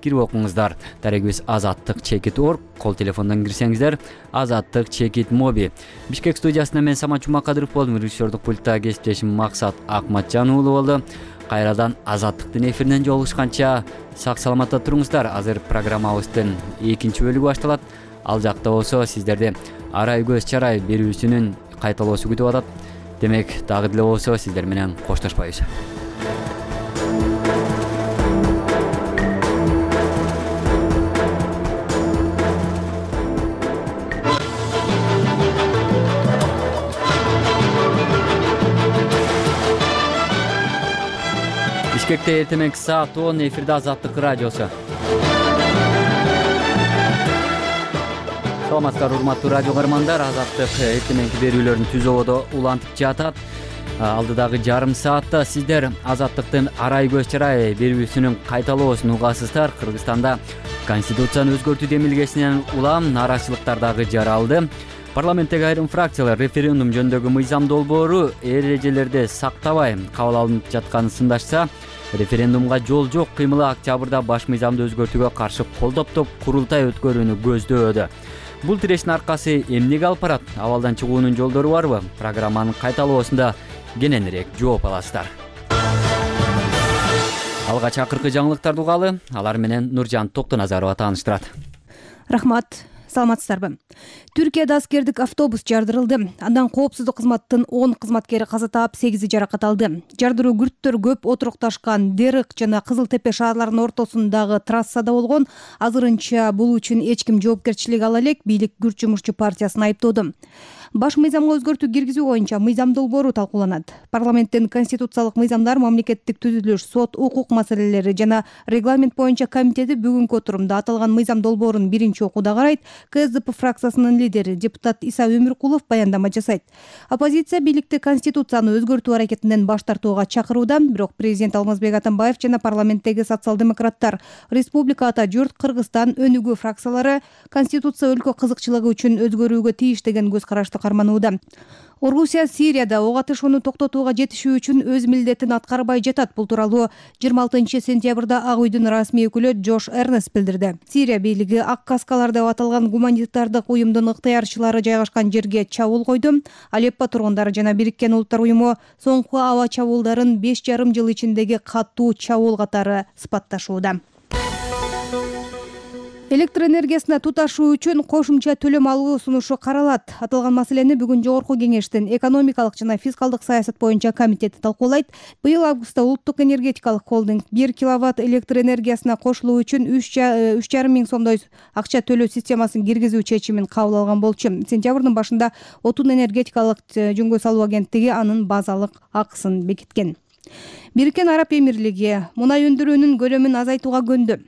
Кирип окуңуздар. Дарегибиз азаттык чекит точка орг, кол телефондон кирсеңиздер азаттык чекит моби. Бишкек студиясында мен Самат Жумакадыров болдум. Режиссердук пультта кесиптешим Максат Акматжан уулу болду. Кайрадан азаттыктын эфиринен жолугушканча сак саламатта туруңуздар. Азыр программабыздын экинчи бөлүгү башталат. Ал жакта болсо сиздерди арай көз чарай берүүсүнүн кайталоосу күтүп атат. Демек, дагы деле болсо сиздер менен коштошпайбыз. Бишкекте эртең саат он эфирде Азаттык радиосу. Саламатсыздар, урматтуу радио көрөрмандар. Азаттык эртеңки берүүлөрүн түзөбодо улантып жатат. Алдыдагы жарым саатта сиздер Азаттыктын арай көз чарай берүүсүнүн кайталоосун угасыздар. Кыргызстанда конституцияны өзгөртүү демилгесинен улам нааразычылыктар дагы жаралды. Парламенттеги айрым фракциялар референдум жөнүндөгү мыйзам долбоору эрежелерди сактабай кабыл алынып жатканын сындашса, референдумга жол жок кыймылы октябрда баш мыйзамды өзгөртүүгө каршы колдоптоп курултай өткөрүүнү көздөөдө. Бул тирештин аркасы эмнеге алып барат? Абалдан чыгуунун жолдору барбы? Программанын кайталоосунда кененирээк жооп аласыздар. Алгач акыркы жаңылыктарды угалы, алар менен Нуржан Токтоназарова тааныштырат. Рахмат. Саламатсыздарбы. Түркияда аскердик автобус жардырылды. Андан коопсуздук кызматтын он кызматкери каза таап, сегизи жаракат алды. Жардыруу күрттөр көп отурукташкан Дерык жана Кызыл Тепе шаарларынын ортосундагы трассада болгон. Азырынча бул үчүн эч ким жоопкерчилик ала элек, бийлик күрт жумушчу партиясын айыптоодо. Баш мыйзамга өзгөртүү киргизүү боюнча мыйзам долбоору талкууланат. Парламенттин конституциялык мыйзамдар, мамлекеттик түзүлүш, сот, укук маселелери жана регламент боюнча комитети бүгүнкү отурумда аталган мыйзам долбоорун биринчи окууда карайт. КСДП фракциясынын лидери депутат Иса Өмүркулов баяндама жасайт. Оппозиция бийликти конституцияны өзгөртүү аракетинен баш тартууга чакырууда, бирок президент Алмазбек Атамбаев жана парламенттеги социал-демократтар, Республика Ата журт, Кыргызстан өнүгүү фракциялары конституция өлкө кызыкчылыгы үчүн өзгөрүүгө тийиш деген көз карашты карманууда. Орусия Сирияда ок атышууну токтотууга жетишүү үчүн өз милдетин аткарбай жатат. Бул тууралуу жыйырма алтынчы сентябрда Ак үйдүн расмий өкүлү Джош Эрнест билдирди. Сирия бийлиги Ак каскалар деп аталган гуманитардык уюмдун ыктыярчылары жайгашкан жерге чабуул койду. Алеппо тургундары жана Бириккен Улуттар уюму соңку аба чабуулдарын беш жарым жыл ичиндеги катуу чабуул катары сыпатташууда. Электр энергиясына туташуу үчүн кошумча төлөм алуу сунушу каралат. Аталган маселени бүгүн Жогорку кеңештин экономикалык жана фискалдык саясат боюнча комитети талкуулайт. Быйыл августта Улуттук энергетикалык холдинг бир киловатт электр энергиясына кошулуу үчүн үч жарым миң сомдой акча төлөө системасын киргизүү чечимин кабыл алган болчу. Сентябрдын башында Отун энергетикалык жөнгө салуу агенттиги анын базалык акысын бекиткен. Бириккен Араб Эмирлиги мунай өндүрүүнүн көлөмүн азайтууга көндү.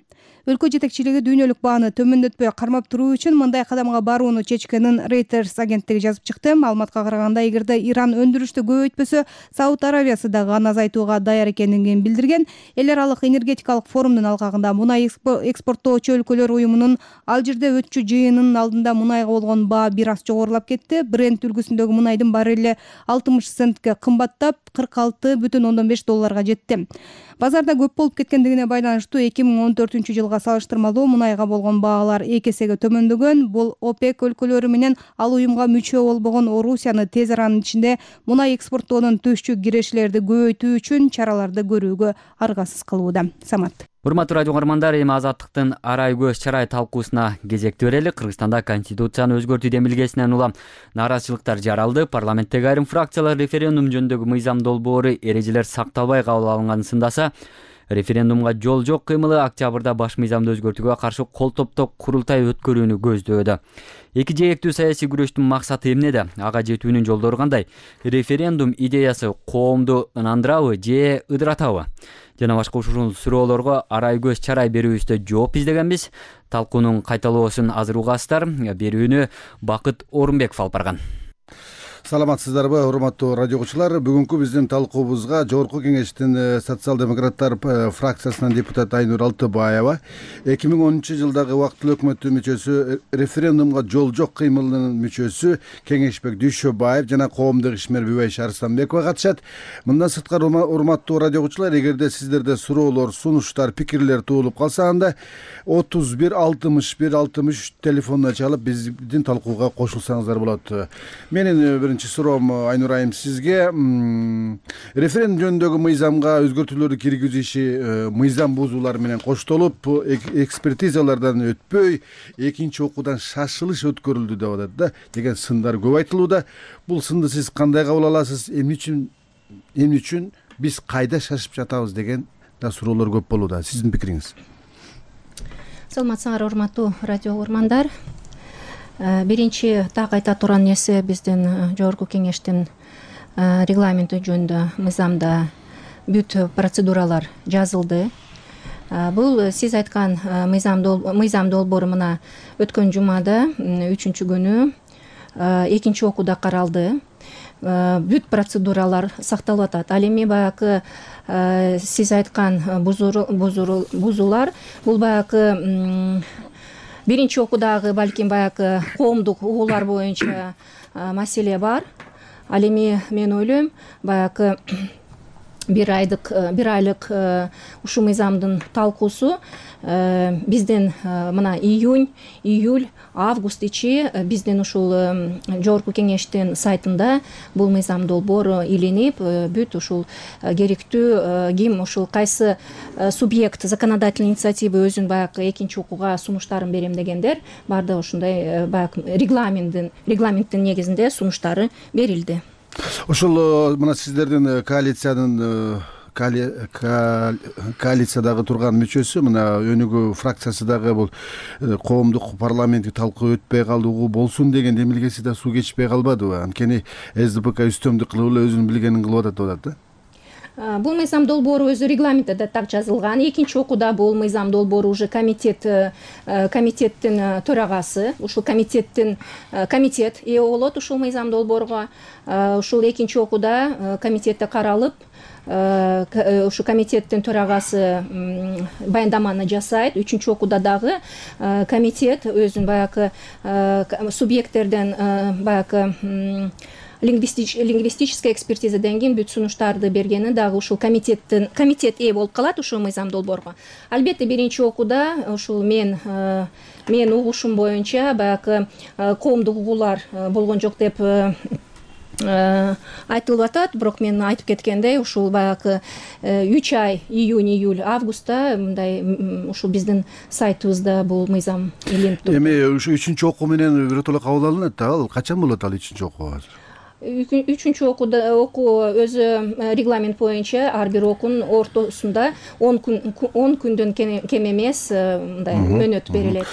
Өлкө жетекчилиги дүйнөлүк бааны төмөндөтпөй кармап туруу үчүн мындай кадамга барууну чечкенин Reuters агенттиги жазып чыкты. Маалыматка караганда, эгерде Иран өндүрүштү көбөйтпөсө, Сауд Аравиясы дагы аны азайтууга даяр экенин билдирген. Эл аралык энергетикалык форумдун алкагында мунай экспорттоочу өлкөлөр уюмунун ал жерде өтчү жыйынынын алдында мунайга болгон баа бир аз жогорулап кетти. Брент үлгүсүндөгү мунайдын баррели алтымыш центке кымбаттап, кырк алты бүтүн ондон беш долларга жетти. Базарда көп болуп кеткендигине байланыштуу эки миң он төртүнчү жылга салыштырмалуу мунайга болгон баалар эки эсеге төмөндөгөн. Бул ОПЕК өлкөлөрү менен ал уюмга мүчө болбогон Орусияны тез аранын ичинде мунай экспорттоодон түшчү кирешилерди көбөйтүү үчүн чараларды көрүүгө аргасыз кылууда. Самат. Урматтуу радио көрөрмандар, эми Азаттыктын арай көз чарай талкуусуна кезекти берели. Кыргызстанда конституцияны өзгөртүү демилгесинен улам нааразычылыктар жаралды. Парламенттеги айрым фракциялар референдум жөнүндөгү мыйзам долбоору эрежелер сакталбай кабыл алынганын сындаса, Референдумга жол жок кыймылы октябрда баш мыйзамды өзгөртүүгө каршы кол топтоп курултай өткөрүүнү көздөөдө. Эки жээктүү саясий күрөштүн максаты эмнеде? Ага жетүүнүн жолдору кандай? Референдум идеясы коомду ынандырабы же ыдыратабы? Жана башка ушул суроолорго арай көз чарай берүүбүздө жооп издегенбиз. Талкуунун кайталоосун азыр угасыздар. Берүүнү Бакыт Орунбеков алып барган. Саламатсыздарбы, урматтуу радио угуучулар. Бүгүнкү биздин талкуубузга Жогорку Кеңештин социал-демократтар фракциясынын депутаты Айнур Алтыбаева эки миң онунчу жылдагы убактылуу өкмөттүн мүчөсү, референдумга жол жок кыймылынын мүчөсү Кеңешбек Дүйшөбаев жана коомдук ишмер Бүбайша Арыстанбекова катышат. Мындан сырткары, урматтуу радио угуучулар, эгерде сиздерде суроолор, сунуштар, пикирлер туулуп калса, анда отуз бир алтымыш бир алтымыш үч телефонуна чалып биздин талкууга кошулсаңыздар болот. Менин биринчи суроом Айнур айым сизге. Референдум жөнүндөгү мыйзамга өзгөртүүлөрдү киргизиши мыйзам бузуулар менен коштолуп, экспертизалардан өтпөй, экинчи окуудан шашылыш өткөрүлдү деп атат да, деген сындар көп айтылууда. Бул сынды сиз кандай кабыл аласыз? Эмне үчүн эмне үчүн биз кайда шашып жатабыз деген да суроолор көп болууда. Сиздин пикириңиз? Саламатсыңар, урматтуу радио угармандар. Биринчи так айта турган нерсе, биздин Жогорку Кеңештин регламенти жөнүндө мыйзамда бүт процедуралар жазылды. Бул сиз айткан мыйзам долбоору мына өткөн жумада үчүнчү күнү экинчи окууда каралды. Бүт процедуралар сакталып атат. Ал эми баягы сиз айткан бузуулар, бул баягы биринчи окуудагы балким баягы коомдук угуулар боюнча маселе бар. Ал эми мен ойлойм, баягы бир айдык бир айлык ушул мыйзамдын талкуусу биздин мына июнь, июль, август ичи биздин ушул Жогорку Кеңештин сайтында бул мыйзам долбоору илинип, бүт ушул керектүү ким ушул кайсы субъект законодательный инициатива өзүн баягы экинчи окууга сунуштарын берем дегендер баардыгы ушундай баягы регламенттин регламенттин негизинде сунуштары берилди. Ошол мына сиздердин коалициянын коалициядагы турган мүчөсү, мына өнүгүү фракциясы дагы бул коомдук парламенттик талкуу өтпөй калуу болсун деген демилгеси да суу кечпей калбадыбы? Анткени СДПК үстөмдүк кылып эле өзүнүн билгенин кылып атат деп атат да. Бул мыйзам долбоору өзү регламентте да так жазылган. Экинчи окууда бул мыйзам долбоору уже комитет комитеттин төрагасы, ушул комитеттин комитет ээ болот ушул мыйзам долбоорго. Ушул экинчи окууда комитетте каралып, ушу комитеттин төрагасы баяндаманы жасайт. Үчүнчү окууда дагы комитет өзүн баягы субъекттерден баягы лингвистическая экспертизаден кийин бүт сунуштарды бергени дагы ушул комитеттин комитет ээ болуп калат ушул мыйзам долбоорго. Албетте биринчи окууда ушул мен мен угушум боюнча баягы коомдук угуулар болгон жок деп айтылып атат, бирок мен айтып кеткендей ушул баягы үч ай июнь, июль, августта мындай ушул биздин сайтыбызда бул мыйзам илинип турат. Эми ушу үчүнчү окуу менен биротоло кабыл алынат да, ал качан болот ал үчүнчү окуу? Үчүнчү окууда окуу өзү регламент боюнча ар бир окуунун ортосунда он күн он күндөн кем эмес мындай мөөнөт берилет.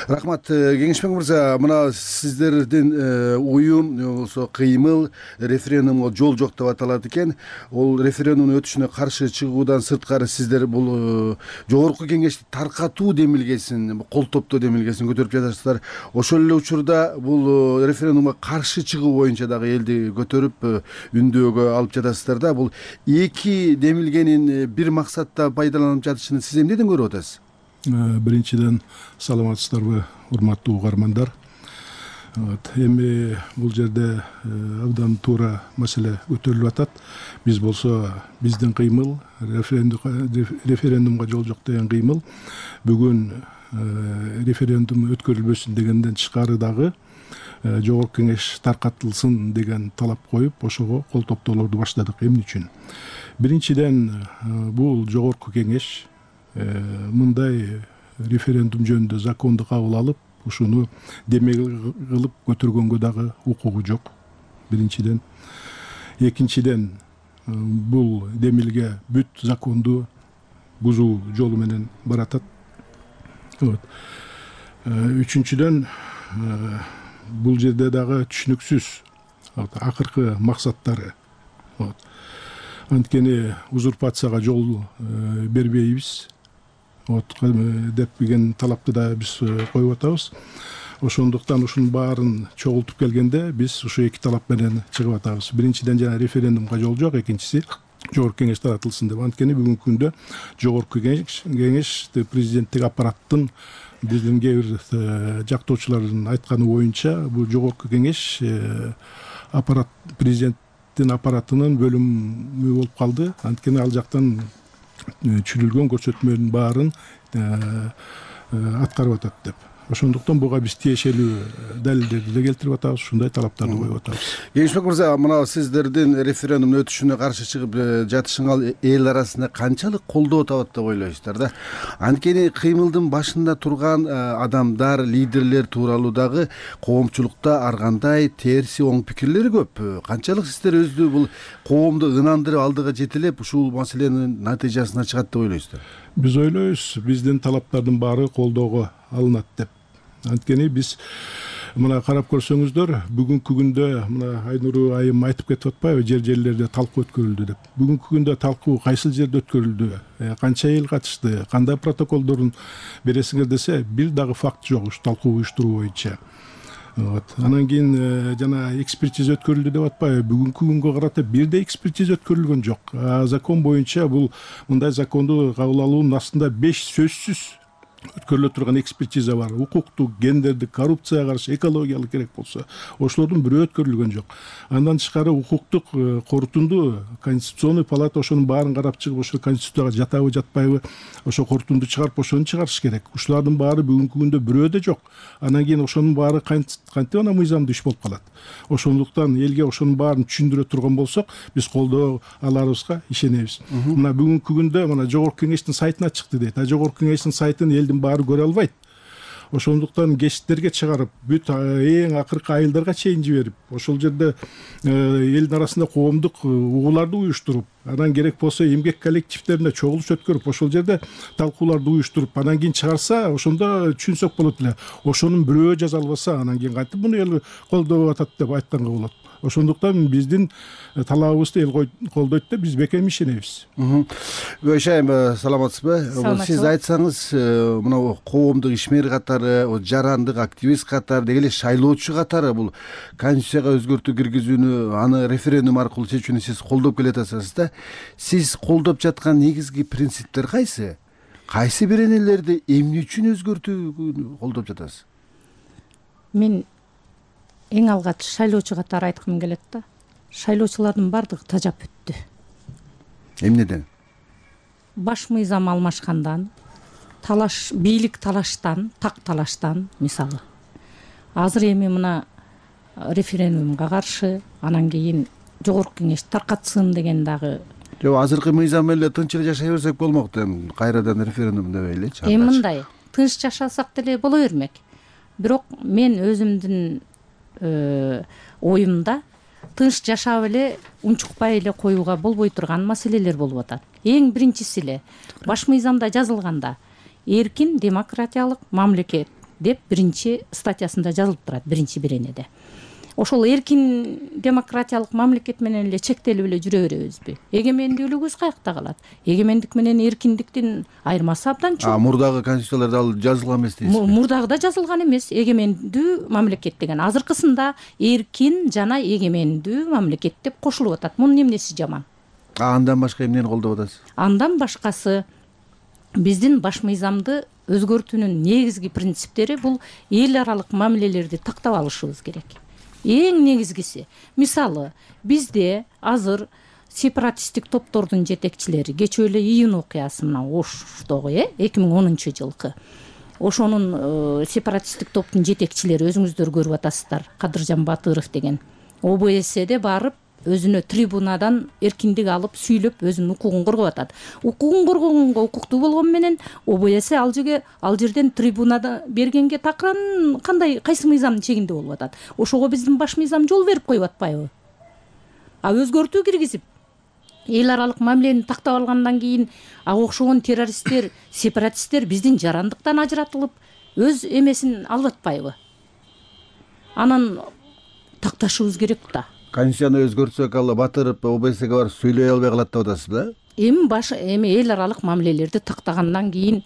Рахмат, Кеңешбек мырза, мына сиздердин уюм болсо кыймыл референдумга жол жок деп аталат экен. Ол референдумдун өтүшүнө каршы чыгуудан сырткары сиздер бул Жогорку Кеңешти таркатуу демилгесин, кол топтоо демилгесин көтөрүп жатасыздар. Ошол эле учурда бул референдумга каршы чыгуу боюнча дагы көтөрүп үндөөгө алып жатасыздар да. Бул эки демилгенин бир максатта пайдаланып жатышын сиз эмнеден көрүп атасыз? Биринчиден, саламатсыздарбы, урматтуу угармандар. Эми бул жерде абдан туура маселе көтөрүлүп атат. Биз болсо биздин кыймыл референдумга жол жок деген кыймыл бүгүн референдум өткөрүлбөсүн дегенден тышкары дагы Жогорку Кеңеш таркатылсын деген талап коюп, ошого кол топтоолорду баштадык. Эмне үчүн? Биринчиден, бул Жогорку Кеңеш мындай референдум жөнүндө законду кабыл алып, ушуну демек кылып көтөргөнгө дагы укугу жок. Биринчиден. Экинчиден, бул демилге бүт законду бузуу жолу менен баратат. Вот. Үчүнчүдөн бул жерде дагы түшүнүксүз акыркы максаттары. Вот. Анткени узурпацияга жол бербейбиз. Вот деп деген талапты да биз коюп атабыз. Ошондуктан ушунун баарын чогултуп келгенде биз ушу эки талап менен чыгып атабыз. Биринчиден жана референдумга жол жок, экинчиси жогорку кеңеш таратылсын деп. Анткени бүгүнкү күндө жогорку кеңеш президенттик аппараттын биздин кээ бир жактоочулардын айтканы боюнча бул жогорку кеңеш аппарат президенттин аппаратынын бөлүмү болуп калды. Анткени ал жактан түзүлгөн көрсөтмөнүн баарын аткарып атат деп. Ошондуктан буга биз тиешелүү далилдерди да келтирип атабыз, ушундай талаптарды коюп атабыз. Кеңешбек мырза, мына сиздердин референдумдун өтүшүнө каршы чыгып жатышыңар эл арасында канчалык колдоо табат деп ойлойсуздар да? Анткени кыймылдын башында турган адамдар, лидерлер тууралуу дагы коомчулукта ар кандай терси оң пикирлер көп. Канчалык сиздер өзү бул коомду ынандырып алдыга жетелеп ушул маселенин натыйжасына чыгат деп ойлойсуздар? Биз ойлойбуз, биздин талаптардын баары колдоого алынат деп. Анткени биз мына карап көрсөңүздөр, бүгүнкү күндө мына Айнур айым айтып кетип атпайбы, жер жерлерде талкуу өткөрүлдү деп. Бүгүнкү күндө талкуу кайсыл жерде өткөрүлдү, канча эл катышты, кандай протоколдорун бересиңер десе, бир дагы факт жок ушу талкуу уюштуруу боюнча. Вот. Анан кийин жана экспертиза өткөрүлдү деп атпайбы, бүгүнкү күнгө карата бирде экспертиза өткөрүлгөн жок. Закон боюнча бул мындай законду кабыл алуунун астында беш сөзсүз өткөрүлө турган экспертиза бар. Укуктук, гендердик, коррупцияга каршы, экологиялык керек болсо, ошолордун бирөө өткөрүлгөн жок. Андан тышкары укуктук корутунду Конституционный палата ошонун баарын карап чыгып, ошо конституцияга жатабы, жатпайбы, ошо корутунду чыгарып, ошону чыгарыш керек. Ушулардын баары бүгүнкү күндө бирөө да жок. Анан кийин ошонун баары кантип ана мыйзамдуу иш болуп калат. Ошондуктан элге ошонун баарын түшүндүрө турган болсок, биз колдоо аларыбызга ишенебиз. Мына бүгүнкү күндө мына жогорку кеңештин сайтына чыкты дейт. А жогорку кеңештин сайтын элдин баары көрө албайт. Ошондуктан гезиттерге чыгарып, бүт эң акыркы айылдарга чейин жиберип, ошол жерде элдин арасында коомдук угууларды уюштуруп, анан керек болсо эмгек коллективдерине чогулуш өткөрүп, ошол жерде талкууларды уюштуруп, анан кийин чыгарса, ошондо түшүнсөк болот эле. Ошонун бирөө жаза албаса, анан кийин кантип муну эл колдоп атат деп айтканга болот. Ошондуктан биздин талабыбызды эл колдойт деп биз бекем ишенебиз. Гүлшah айым, саламатсызбы? Сиз айтсаңыз, мына коомдук ишмер катары, жарандык активист катары, деги эле шайлоочу катары бул конституцияга өзгөртүү киргизүүнү, аны референдум аркылуу чечүүнү сиз колдоп келатасыз да. Сиз колдоп жаткан негизги принциптер кайсы? Кайсы беренелерди эмне үчүн өзгөртүүнү колдоп жатасыз? Мен эң алгач шайлоочу катары айткым келет да. Шайлоочулардын бардыгы тажап өттү. Эмнеден? Баш мыйзам алмашкандан, талаш, бийлик талаштан, так талаштан, мисалы. Азыр эми мына референдумга каршы, анан кийин жогорку кеңеш таркатсын деген дагы. Жок, азыркы мыйзам менен тынч эле жашай берсек болмок, эми кайрадан референдум дебейличи. Эми мындай, тынч жашасак деле боло бермек. Бирок мен өзүмдүн оюмда тынч жашап эле унчукпай эле коюуга болбой турган маселелер болуп атат. Эң биринчиси эле баш мыйзамда жазылганда эркин демократиялык мамлекет деп биринчи статьясында жазылып турат, биринчи беренеде. Ошол эркин демократиялык мамлекет менен эле чектелип эле жүрө беребизби? Эгемендүүлүгүбүз каякта калат? Эгемендик менен эркиндиктин айырмасы абдан чоң. А мурдагы конституцияларда ал жазылган эмес дейсизби? Мурдагыда жазылган эмес. Эгемендүү мамлекет деген. Азыркысында эркин жана эгемендүү мамлекет деп кошулуп атат. Мунун эмнеси жаман? А андан башка эмнени колдоп атасыз? Андан башкасы биздин баш мыйзамды өзгөртүүнүн негизги принциптери бул эл аралык мамилелерди тактап алышыбыз керек. Эң негизгиси, мисалы, бизде азыр сепаратисттик топтордун жетекчилери, кечээ эле июнь окуясы мына Оштогу, э, эки миң онунчу жылкы. Ошонун сепаратисттик топтун жетекчилери өзүңүздөр көрүп атасыздар, Кадыржан Батыров деген. О Б S'де барып, өзүнө трибунадан эркиндик алып, сүйлөп, өзүнүн укугун коргоп атат. Укугун коргогонго укуктуу болгон менен О Б С ал жерге ал жерден трибунада бергенге такыран кандай кайсы мыйзамдын чегинде болуп атат. Ошого биздин баш мыйзам жол берип коюп атпайбы? А өзгөртүү киргизип, эл аралык мамилени тактап алгандан кийин ага окшогон террористтер, сепаратисттер биздин жарандыктан ажыратылып өз эмесин алып атпайбы? Анан такташыбыз керек да. Конституцияны өзгөртсөк ал батырып ОБСге барып сүйлөй албай калат деп атасыз да? Эми баш эми эл аралык мамилелерди тактагандан кийин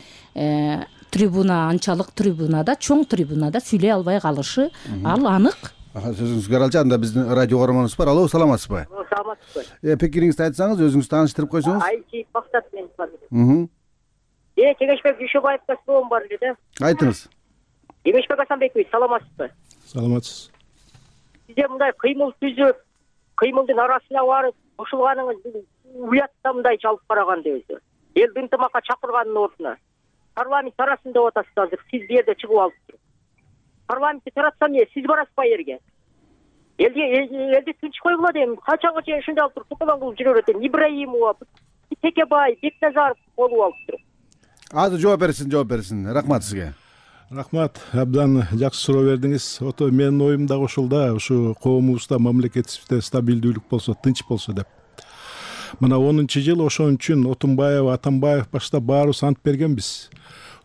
трибуна анчалык трибунада, чоң трибунада сүйлөй албай калышы ал анык. Сөзүңүзгө аралчы, анда биздин радио көрөрмөнүбүз бар. Алло, саламатсызбы? Саламатсызбы? Э, пикириңизди айтсаңыз, өзүңүздү тааныштырып койсоңуз. Айчи Бактат мен бар. Мм. Э, Тегешбек Дүйшөбаевга суроом бар эле да. Айтыңыз. Демешбек Асанбекович, саламатсызбы? Саламатсыз. Сизде мындай кыймыл түзүп, кыймылдын арасына барып, кошулганыңыз уятта мындайча алып караганда өзү. Элди ынтымакка чакырганын ордуна парламент тарасын деп атасыз азыр. Сиз бу жерде чыгып алыпсыз. Парламентти таратса эмне, сиз барасыз ба жерге? Элди элди тынч койгула дейм. Качанга чейин ушундай алып туруп тукулан кылып жүрө берет. Ибраимова, Текебай, Бекназаров болуп алыптыр. Азыр жооп берсин, жооп берсин. Рахмат сизге. Рахмат, абдан жакшы суроо бердиңиз. Ото менин оюм дагы ушул да, ушу коомубузда, мамлекетибизде стабилдүүлүк болсо, тынч болсо деп. Мына онунчу жыл ошон үчүн Отунбаев, Атамбаев баштап баарыбыз ант бергенбиз.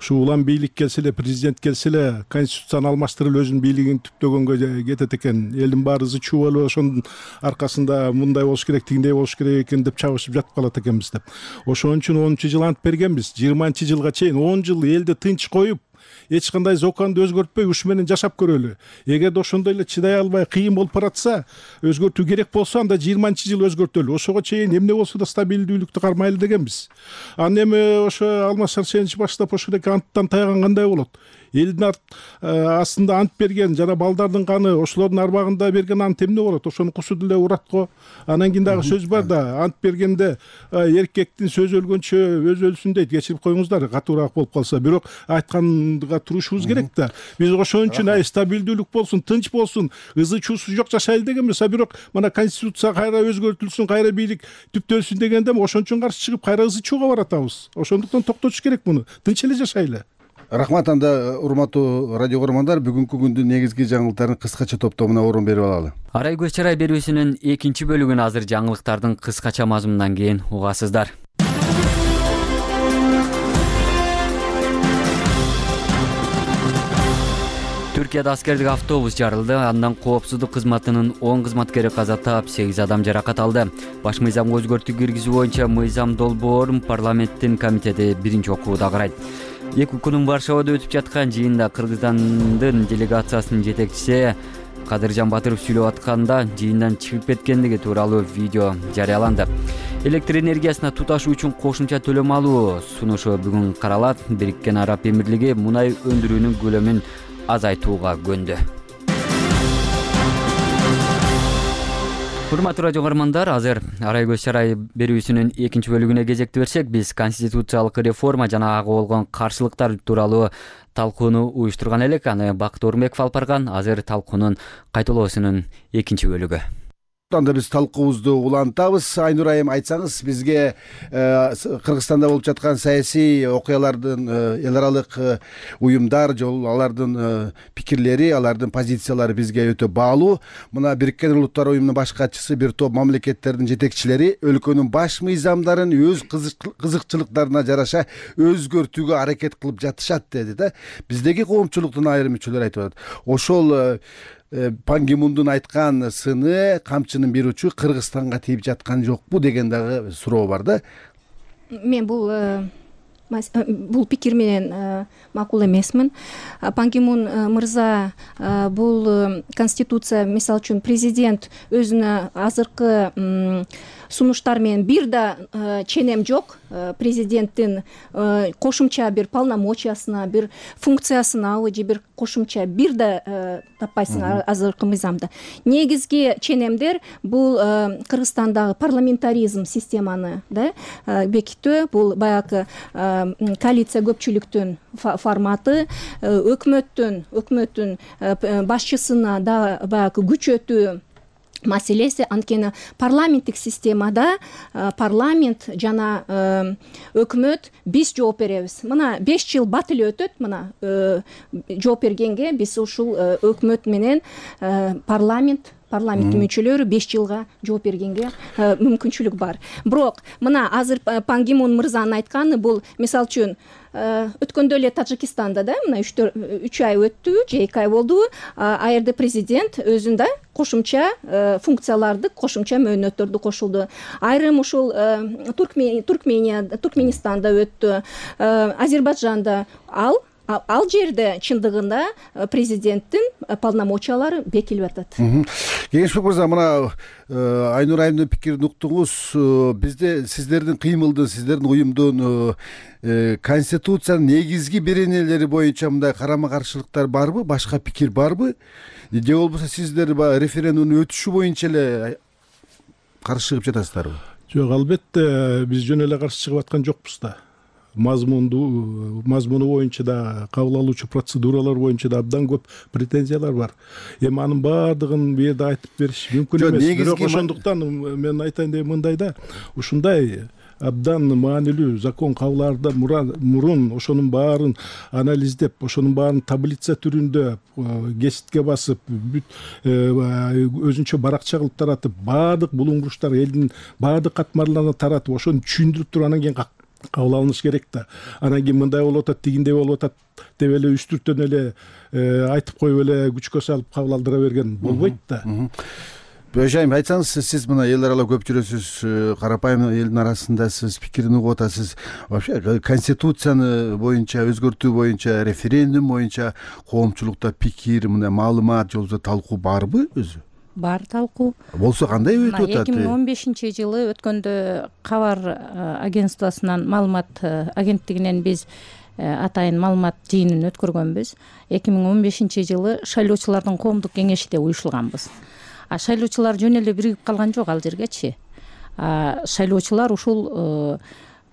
Ушу улам бийлик келсе эле, президент келсе эле, конституцияны алмаштырып өзүнүн бийлигин түптөгөнгө кетет экен. Элдин баары ызы чуу болуп, ошонун аркасында мындай болуш керек, тигиндей болуш керек экен деп чабышып жатып калат экенбиз деп. Ошон үчүн онунчу жыл ант бергенбиз. жыйырманчы жылга чейин он жыл элди тынч коюп, эч кандай законду өзгөртпөй ушу менен жашап көрөлү. Эгерде ошондой эле чыдай албай кыйын болуп баратса, өзгөртүү керек болсо, анда жыйырманчы жыл өзгөртөлү. Ошого чейин эмне болсо да стабилдүүлүктү кармайлы дегенбиз. Анан эми ошо Алмаз Арсенович баштап ошол анттан тайган кандай болот? Элдин астында ант берген жана балдардын каны, ошолордун арбагында берген ант эмне болот? Ошону кусу деле урат го. Анан кийин дагы сөз бар да, ант бергенде эркектин сөзү өлгөнчө өзү өлсүн дейт. Кечирип коюңуздар, катуураак болуп калса. Бирок айтканга турушубуз керек да. Биз ошон үчүн ай стабилдүүлүк болсун, тынч болсун, ызы чуусу жок жашайлы дегенбиз. А бирок мына конституция кайра өзгөртүлсүн, кайра бийлик түптөлсүн дегенде ошон үчүн каршы чыгып кайра ызы чууга баратабыз. Ошондуктан токтотуш керек муну. Тынч эле жашайлы. Рахмат, анда урматтуу радио көрөрмандар, бүгүнкү күндүн негизги жаңылыктарын кыскача топтомуна орун берип алалы. Арай көз чарай берүүсүнүн экинчи бөлүгүн азыр жаңылыктардын кыскача мазмунунан кийин угасыздар. Түркияда аскердик автобус жарылды. Андан коопсуздук кызматынын он кызматкери каза таап, сегиз адам жаракат алды. Баш мыйзамга өзгөртүү киргизүү боюнча мыйзам долбоорун парламенттин комитети биринчи окууда карайт. Эки күнүн Варшавада өтүп жаткан жыйында Кыргызстандын делегациясынын жетекчиси Кадыржан Батыров сүйлөп атканда жыйындан чыгып кеткендиги тууралуу видео жарыяланды. Электр энергиясына туташуу үчүн кошумча төлөм алуу сунушу бүгүн каралат. Бириккен Араб Эмирлиги мунай өндүрүүнүн көлөмүн азайтууга көндү. Урматтуу радио көрөрмандар, азыр Арай көз чарай берүүсүнүн экинчи бөлүгүнө кезекти берсек, биз конституциялык реформа жана ага болгон каршылыктар тууралуу талкууну уюштурган элек. Аны Бакыт Орунбеков алып барган. Азыр талкуунун кайталоосунун экинчи бөлүгү. Анда биз талкуубузду улантабыз. Айнур айым, айтсаңыз, бизге Кыргызстанда болуп жаткан саясий окуялардын, эл аралык уюмдар, жол алардын пикирлери, алардын позициялары бизге өтө баалуу. Мына Бириккен Улуттар уюмунун баш катчысы бир топ мамлекеттердин жетекчилери өлкөнүн баш мыйзамдарын өз кызыкчылыктарына жараша өзгөртүүгө аракет кылып жатышат деди да. Биздеги коомчулуктун айрым мүчөлөрү айтып атат. Ошол Пан Ги Мундун айткан сыны, камчынын бир учу Кыргызстанга тийип жаткан жокпу деген дагы суроо бар да. Мен бул бул пикир менен макул эмесмин. Пан Ги Мун мырза бул конституция, мисалы үчүн президент өзүнө азыркы сунуштар менен бир да ченем жок. Президенттин кошумча бир полномочиясына, бир функциясына же бир кошумча бир да таппайсың азыркы мыйзамда. Негизги ченемдер бул Кыргызстандагы парламентаризм системаны да бекитүү, бул баягы коалиция көпчүлүктүн форматы, өкмөттүн өкмөттүн башчысына да баягы күчөтүү маселеси. Анткени парламенттик системада парламент жана өкмөт биз жооп беребиз. Мына беш жыл бат эле өтөт, мына жооп бергенге биз ушул өкмөт менен парламент парламенттин мүчөлөрү беш жылга жооп бергенге мүмкүнчүлүк бар. Бирок мына азыр Пан Ги Мун мырзанын айтканы бул мисалы үчүн өткөндө эле Тажикистанда да мына үч ай өттү же эки ай болду, ал жерде президент өзүн да кошумча функцияларды, кошумча мөөнөттөрдү кошулду. Айрым ушул Туркмения, Туркменистанда өттү, Азербайджанда ал ал жерде чындыгында президенттин полномочиялары бекилип атат. Кеңешбек мырза, мына Айнур айымдын пикирин уктуңуз. Бизде сиздердин кыймылдын, сиздердин уюмдун конституциянын негизги беренелери боюнча мындай карама каршылыктар барбы, башка пикир барбы? Же болбосо сиздер референдумдун өтүшү боюнча эле каршы чыгып жатасыздарбы? Жок, албетте биз жөн эле каршы чыгып аткан жокпуз да. Мазмунду мазмуну боюнча да, кабыл алуучу процедуралар боюнча да абдан көп претензиялар бар. Эми анын баардыгын бу жерде айтып бериш мүмкүн эмес. Бирок ошондуктан мен айтайын деп мындай да, ушундай абдан маанилүү закон кабыл алаардан мурун ошонун баарын анализдеп, ошонун баарын таблица түрүндө кеситке басып, өзүнчө баракча кылып таратып, баардык булуңгуруштар элдин баардык катмарларына таратып, ошону түшүндүрүп туруп анан кийин кабыл алыныш керек да. Анан кийин мындай болуп атат, тигиндей болуп атат деп эле үстүртөн эле айтып коюп эле күчкө салып кабыл алдыра берген болбойт да. Бөжайым, айтсаңыз, сиз мына эл аралап көп жүрөсүз, карапайым элдин арасында сиз пикирин угуп атасыз. Вообще конституцияны боюнча, өзгөртүү боюнча, референдум боюнча коомчулукта пикир, мындай маалымат же болбосо талкуу барбы өзү? Бар талкуу. Болсо кандай өтүп атат? эки миң он бешинчи жылы өткөндө Кабар агентствосунан, маалымат агенттигинен биз атайын маалымат жыйынын өткөргөнбүз. эки миң он бешинчи жылы шайлоочулардын коомдук кеңешинде уюшулганбыз. А шайлоочулар жөн эле биригип калган жок ал жергечи. Шайлоочулар ушул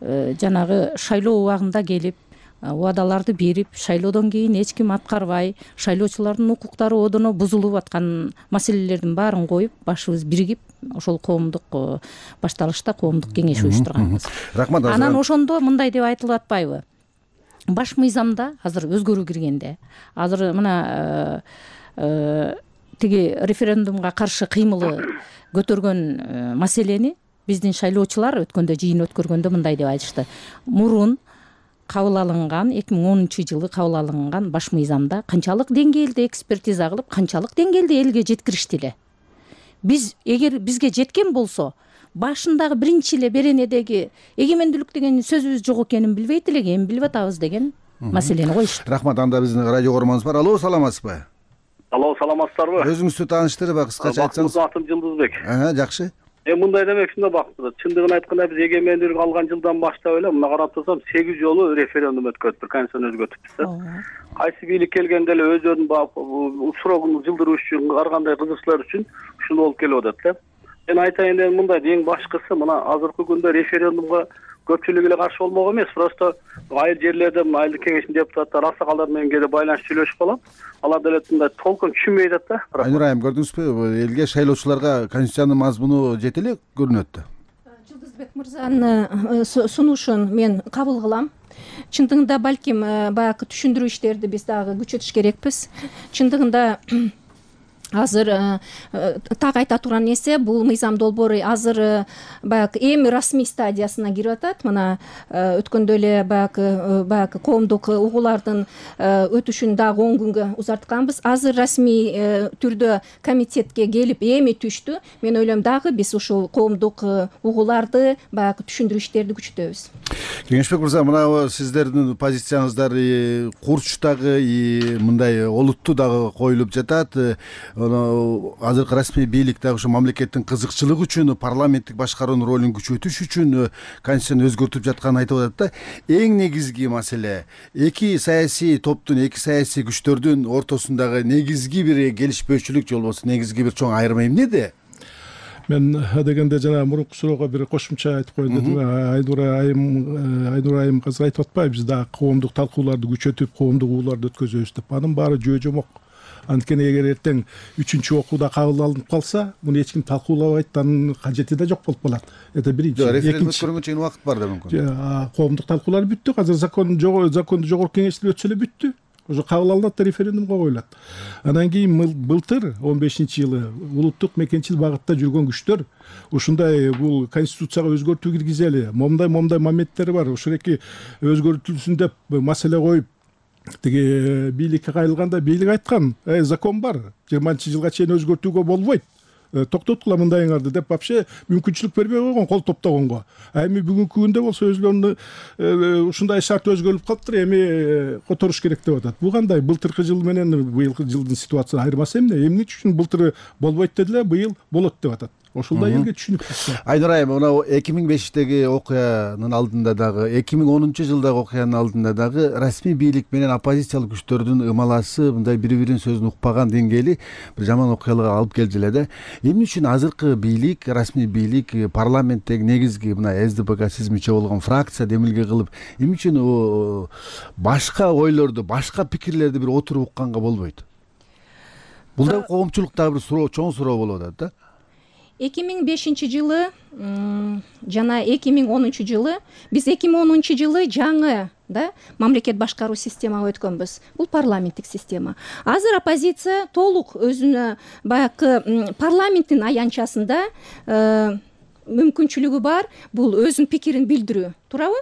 жанагы шайлоо убагында келип, убадаларды берип, шайлоодон кийин эч ким аткарбай, шайлоочулардын укуктары одоно бузулуп аткан маселелердин баарын коюп, башыбыз биригип, ошол коомдук башталышта коомдук кеңеш уюштурганбыз. Рахмат. Анан ошондо мындай деп айтылып атпайбы? Баш мыйзамда азыр өзгөрүү киргенде, азыр мына тиги референдумга каршы кыймылы көтөргөн маселени биздин шайлоочулар өткөндө жыйын өткөргөндө мындай деп айтышты. Мурун кабыл алынган, эки миң онунчу жылы кабыл алынган баш мыйзамда канчалык деңгээлде экспертиза кылып, канчалык деңгээлде элге жеткиришти эле. Биз эгер бизге жеткен болсо, башындагы биринчи эле беренедеги эгемендүүлүк деген сөзүбүз жок экенин билбейт элек, эми билип атабыз деген маселени коюшту. Рахмат. Анда биздин радио көрөрманыбыз бар. Алло, саламатсызбы? Алло, саламатсыздарбы? Өзүңүздү тааныштырып, кыскача айтсаңыз. Атым Жылдызбек. Ага, жакшы. Эми мындай демекчимде бактыр. Чындыгын айтканда биз эгемендүүлүк алган жылдан баштап эле мына карап турсам сегиз жолу референдум өткөрүптүр, конституцияны өзгөртүпбүз да. Кайсы бийлик келгенде эле өздөрүнүн срогун жылдыруу үчүн, ар кандай кызыкчылар үчүн ушундай болуп келип атат да. Мен айтайын дегеним мындай, эң башкысы мына азыркы күндө референдумга көпчүлүк эле каршы болмок эмес, просто айыл жерлерде айыл кеңешинин депутаттары аксакалдар менен кээде байланышып сүйлөшүп калат. Алар деле мындай толкун түшүнбөй атат да. Айнур айым, көрдүңүзбү, элге шайлоочуларга конституциянын мазмуну жете эле көрүнөт да. Жылдызбек мырзанын сунушун мен кабыл кылам. Чындыгында балким баягы түшүндүрүү иштерди биз дагы күчөтүш керекпиз. Чындыгында азыр так айта турган нерсе, бул мыйзам долбоору азыр баягы эми расмий стадиясына кирип атат. Мына өткөндө эле баягы баягы коомдук угуулардын өтүшүн дагы он күнгө узартканбыз. Азыр расмий түрдө комитетке келип эми түштү. Мен ойлойм дагы биз ушул коомдук угууларды баягы түшүндүрүү иштерди күчөтөбүз. Кеңешбек мырза, мына сиздердин позицияныздар курчтагы мындай олуттуу дагы коюлуп жатат. Азыркы расмий бийлик дагы ушу мамлекеттин кызыкчылыгы үчүн, парламенттик башкаруунун ролун күчөтүш үчүн конституцияны өзгөртүп жатканын айтып атат да. Эң негизги маселе эки саясий топтун, эки саясий күчтөрдүн ортосундагы негизги бир келишпөөчүлүк же болбосо негизги бир чоң айырма эмнеде? Мен дегенде жана мурунку суроого бир кошумча айтып коеюн дедим. Айнур айым Айнур айым азыр айтып атпайбы, биз дагы коомдук талкууларды күчөтүп, коомдук угууларды өткөзөбүз деп. Анын баары жөө жомок. Анткени эгер эртең үчүнчү окууда кабыл алынып калса, муну эч ким талкуулабайт, анын кажети да жок болуп калат. Это биринчи. Референдум өткөргөнгө чейин убакыт бар да мүмкүн. Коомдук талкуулар бүттү. Азыр закон законду жогорку кеңеште өтсө эле бүттү. уже кабыл алынат да референдумга коюлат. Анан кийин былтыр он бешинчи жылы улуттук мекенчил багытта жүргөн күчтөр ушундай бул конституцияга өзгөртүү киргизели, момундай момундай моменттери бар, ошол эки өзгөртүлсүн деп маселе коюп тиги бийликке кайрылганда бийлик айткан, э закон бар, жыйырманчы жылга чейин өзгөртүүгө болбойт, токтоткула мындайыңарды деп вообще мүмкүнчүлүк бербей койгон кол топтогонго. А эми бүгүнкү күндө болсо өзлөрүнүн ушундай шарт өзгөрүлүп калыптыр, эми которуш керек деп атат. Бул кандай былтыркы жыл менен быйылкы жылдын ситуациясы айырмасы эмне? Эмне үчүн былтыр болбойт дедилер, быйыл болот деп атат? Ошолдой элге түшүнүктүү. Айнур айым, мына эки миң бештеги окуянын алдында дагы, эки миң онунчу жылдагы окуянын алдында дагы расмий бийлик менен оппозициялык күчтөрдүн ымаласы, мындай бири-биринин сөзүн укпаган деңгээли бир жаман окуяларга алып келди эле да. Эмне үчүн азыркы бийлик, расмий бийлик, парламенттеги негизги мына эс ди пэ ка сиз мүчө болгон фракция демилге кылып, эмне үчүн башка ойлорду, башка пикирлерди бир отуруп укканга болбойт? Бул да коомчулуктагы бир суроо, чоң суроо болуп атат да. эки миң бешинчи жылы жана эки миң онунчу жылы биз эки миң онунчу жылы жаңы да мамлекет башкаруу системага өткөнбүз. Бул парламенттик система. Азыр оппозиция толук өзүнө баягы парламенттин аянтчасында мүмкүнчүлүгү бар, бул өзүнүн пикирин билдирүү, туурабы?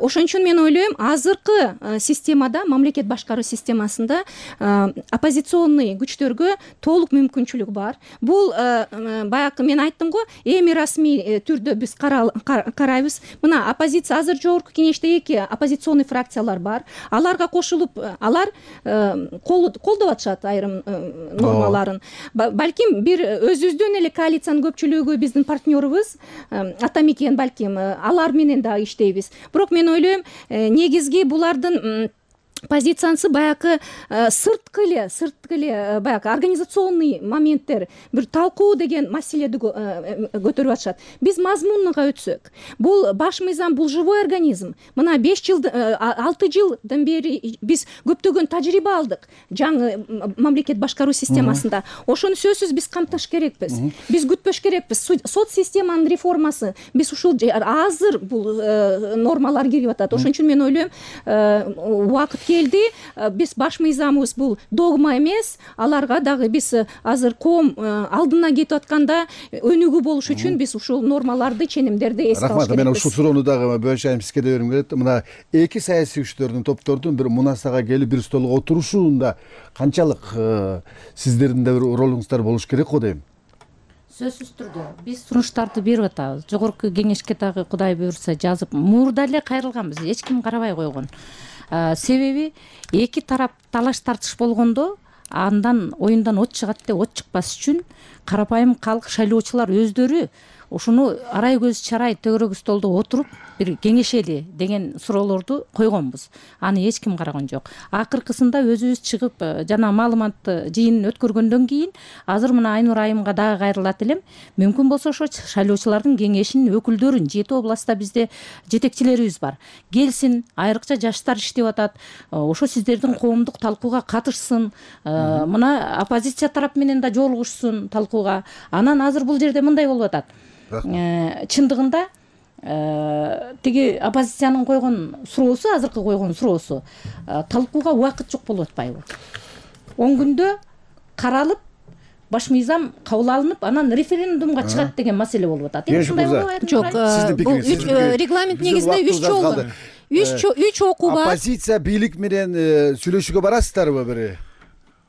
Ошон үчүн мен ойлойм, азыркы системада, мамлекет башкаруу системасында оппозиционный күчтөргө толук мүмкүнчүлүк бар. Бул баягы мен айттым го, эми расмий түрдө биз карайбыз. Мына оппозиция азыр жогорку кеңеште эки оппозиционный фракциялар бар. Аларга кошулуп, алар колдоп атышат айрым нормаларын. Балким бир өзүбүздүн эле коалициянын көпчүлүгү биздин партнерыбыз атамекен, балким алар менен да иштейбиз. Бирок мен ойлойм, негизги булардын позициясы баягы сырткы эле, сырткы эле баягы организационный моменттер, бир талкуу деген маселеди көтөрүп атышат. Биз мазмунуга өтсөк, бул баш мыйзам, бул живой организм. Мына беш жыл, алты жылдан бери биз көптөгөн тажрыйба алдык жаңы мамлекет башкаруу системасында. Ошону сөзсүз биз камтыш керекпиз. Биз күтпөш керекпиз. Сот системанын реформасы, биз ушул азыр бул нормалар кирип атат. Ошон үчүн мен ойлойм, убакыт келди. Биз баш мыйзамыбыз бул догма эмес, аларга дагы биз азыр коом алдына кетип атканда өнүгүү болуш үчүн биз ушул нормаларды, ченемдерди эске алыш керекпиз. Рахмат, мен ушул суроону дагы бөлүшайм, сизге да берим келет. Мына эки саясий күчтөрдүн, топтордун бир мунасага келип бир столго отурушуунда канчалык сиздердин да бир ролуңуздар болуш керек го дейм. Сөзсүз түрдө биз сунуштарды берип атабыз. Жогорку кеңешке дагы Кудай буйрса жазып, мурда эле кайрылганбыз, эч ким карабай койгон. Себеби эки тарап талаш тартыш болгондо андан оюндан от чыгат деп от чыкпас үчүн карапайым калк шайлоочулар өздөрү ушуну арай көз чарай төгөрөк столдо отуруп бир кеңешели деген суроолорду койгонбуз. Аны эч ким караган жок. Акыркысында өзүбүз чыгып жана маалыматты жыйынын өткөргөндөн кийин азыр мына Айнур айымга дагы кайрылат элем. Мүмкүн болсо ошо шайлоочулардын кеңешинин өкүлдөрүн жети областта бизде жетекчилерибиз бар. Келсин, айрыкча жаштар иштеп атат. Ошо сиздердин коомдук талкууга катышсын. Мына оппозиция тарап менен да жолугушсын талкууга. Анан азыр бул жерде мындай болуп атат. Чындыгында тиги оппозициянын койгон суроосу, азыркы койгон суроосу талкууга убакыт жок болуп атпайбы? он күндө каралып, баш мыйзам кабыл алынып, анан референдумга чыгат деген маселе болуп атат. Жок, бул регламент негизинде үч жол, үч окуу бар. Оппозиция бийлик менен сүйлөшүүгө барасыздарбы бири?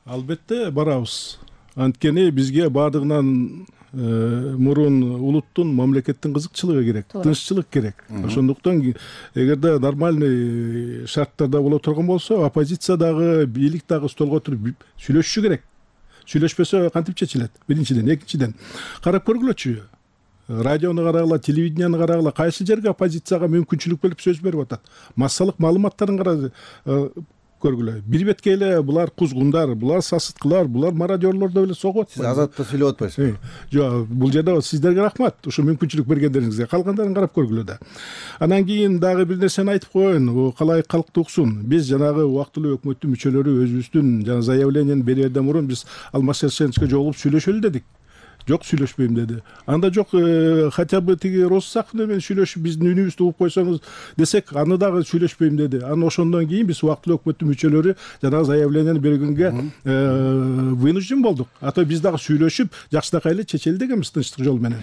Албетте барабыз. Анткени бизге баардыгынан мурун улуттун, мамлекеттин кызыкчылыгы керек, тынччылык керек. Ошондуктан эгерде нормальный шарттарда боло турган болсо, оппозиция дагы, бийлик дагы столго отуруп сүйлөшүшү керек. Сүйлөшпөсө кантип чечилет? Биринчиден, экинчиден карап көргүлөчү. Радиону карагыла, телевиденияны карагыла, кайсы жерге оппозицияга мүмкүнчүлүк берип сөз берип атат. Массалык маалыматтарын карап көргүлө. Бир бетке эле булар кузгундар, булар сасыткылар, булар мародёрлор деп эле согуп атпайбы? Сиз азатта сүйлөп атпайсызбы? Жок, бул жерде сиздерге рахмат. Ушу мүмкүнчүлүк бергендериңизге. Калгандарын карап көргүлө да. Анан кийин дагы бир нерсени айтып коеюн, калай калкты уксун. Биз жанагы убактылуу өкмөттүн мүчөлөрү өзүбүздүн жана заявлениени берерден мурун биз Алмаз Шершеновичке жолугуп сүйлөшөлү дедик. жок сүйлөшпөйм деди. Анда жок хотя бы тиги Россаков менен сүйлөшүп биздин үнүбүздү угуп койсоңуз десек, аны дагы сүйлөшпөйм деди. Анан ошондон кийин биз убактылуу өкмөттүн мүчөлөрү жанагы заявлениени бергенге вынужден болдук. А то биз дагы сүйлөшүп жакшынакай эле чечели дегенбиз тынчтык жол менен.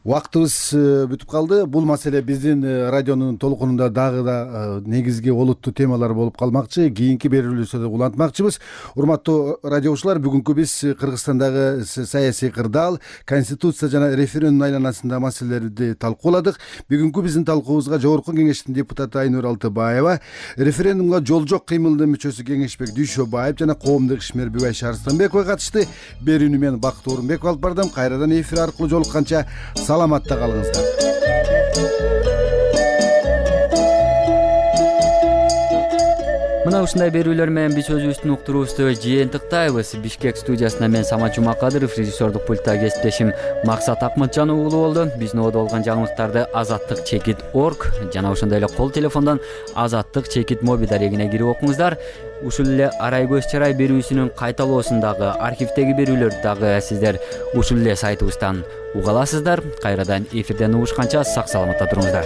Убактыбыз бүтүп калды. Бул маселе биздин радионун толкунунда дагы да негизги олуттуу темалар болуп калмакчы. Кийинки берүүлөрдө улантмакчыбыз. Урматтуу радиочулар, бүгүнкү биз Кыргызстандагы саясий кырдаал, конституция жана референдум айланасындагы маселелерди талкууладык. Бүгүнкү биздин талкуубузга Жогорку Кеңештин депутаты Айнур Алтыбаева, референдумга жол жок кыймылдын мүчөсү Кеңешбек Дүйшөбаев жана коомдук ишмер Бүгайша Арстанбекова катышты. Берүүнү мен Бакыт Орунбеков алып бардым. Кайрадан эфир аркылуу жолукканча саламатта калыңыздар. Мына ушундай берүүлөр менен биз өзүбүздүн уктуруубузду жыйынтыктайбыз. Бишкек студиясында мен Самат Жумакадыров, режиссердук пультта кесиптешим Максат Акматжанов уулу болду. Биздин ободо болгон жаңылыктарды азаттык чекит орг жана ошондой эле кол телефондон азаттык чекит моби дарегине кирип окуңуздар. Ушул эле Арай көз чарай берүүсүнүн кайталоосун дагы, архивдеги берүүлөрдү дагы сиздер ушул эле сайтыбыздан уга аласыздар. Кайрадан эфирден угушканча сак саламатта туруңуздар.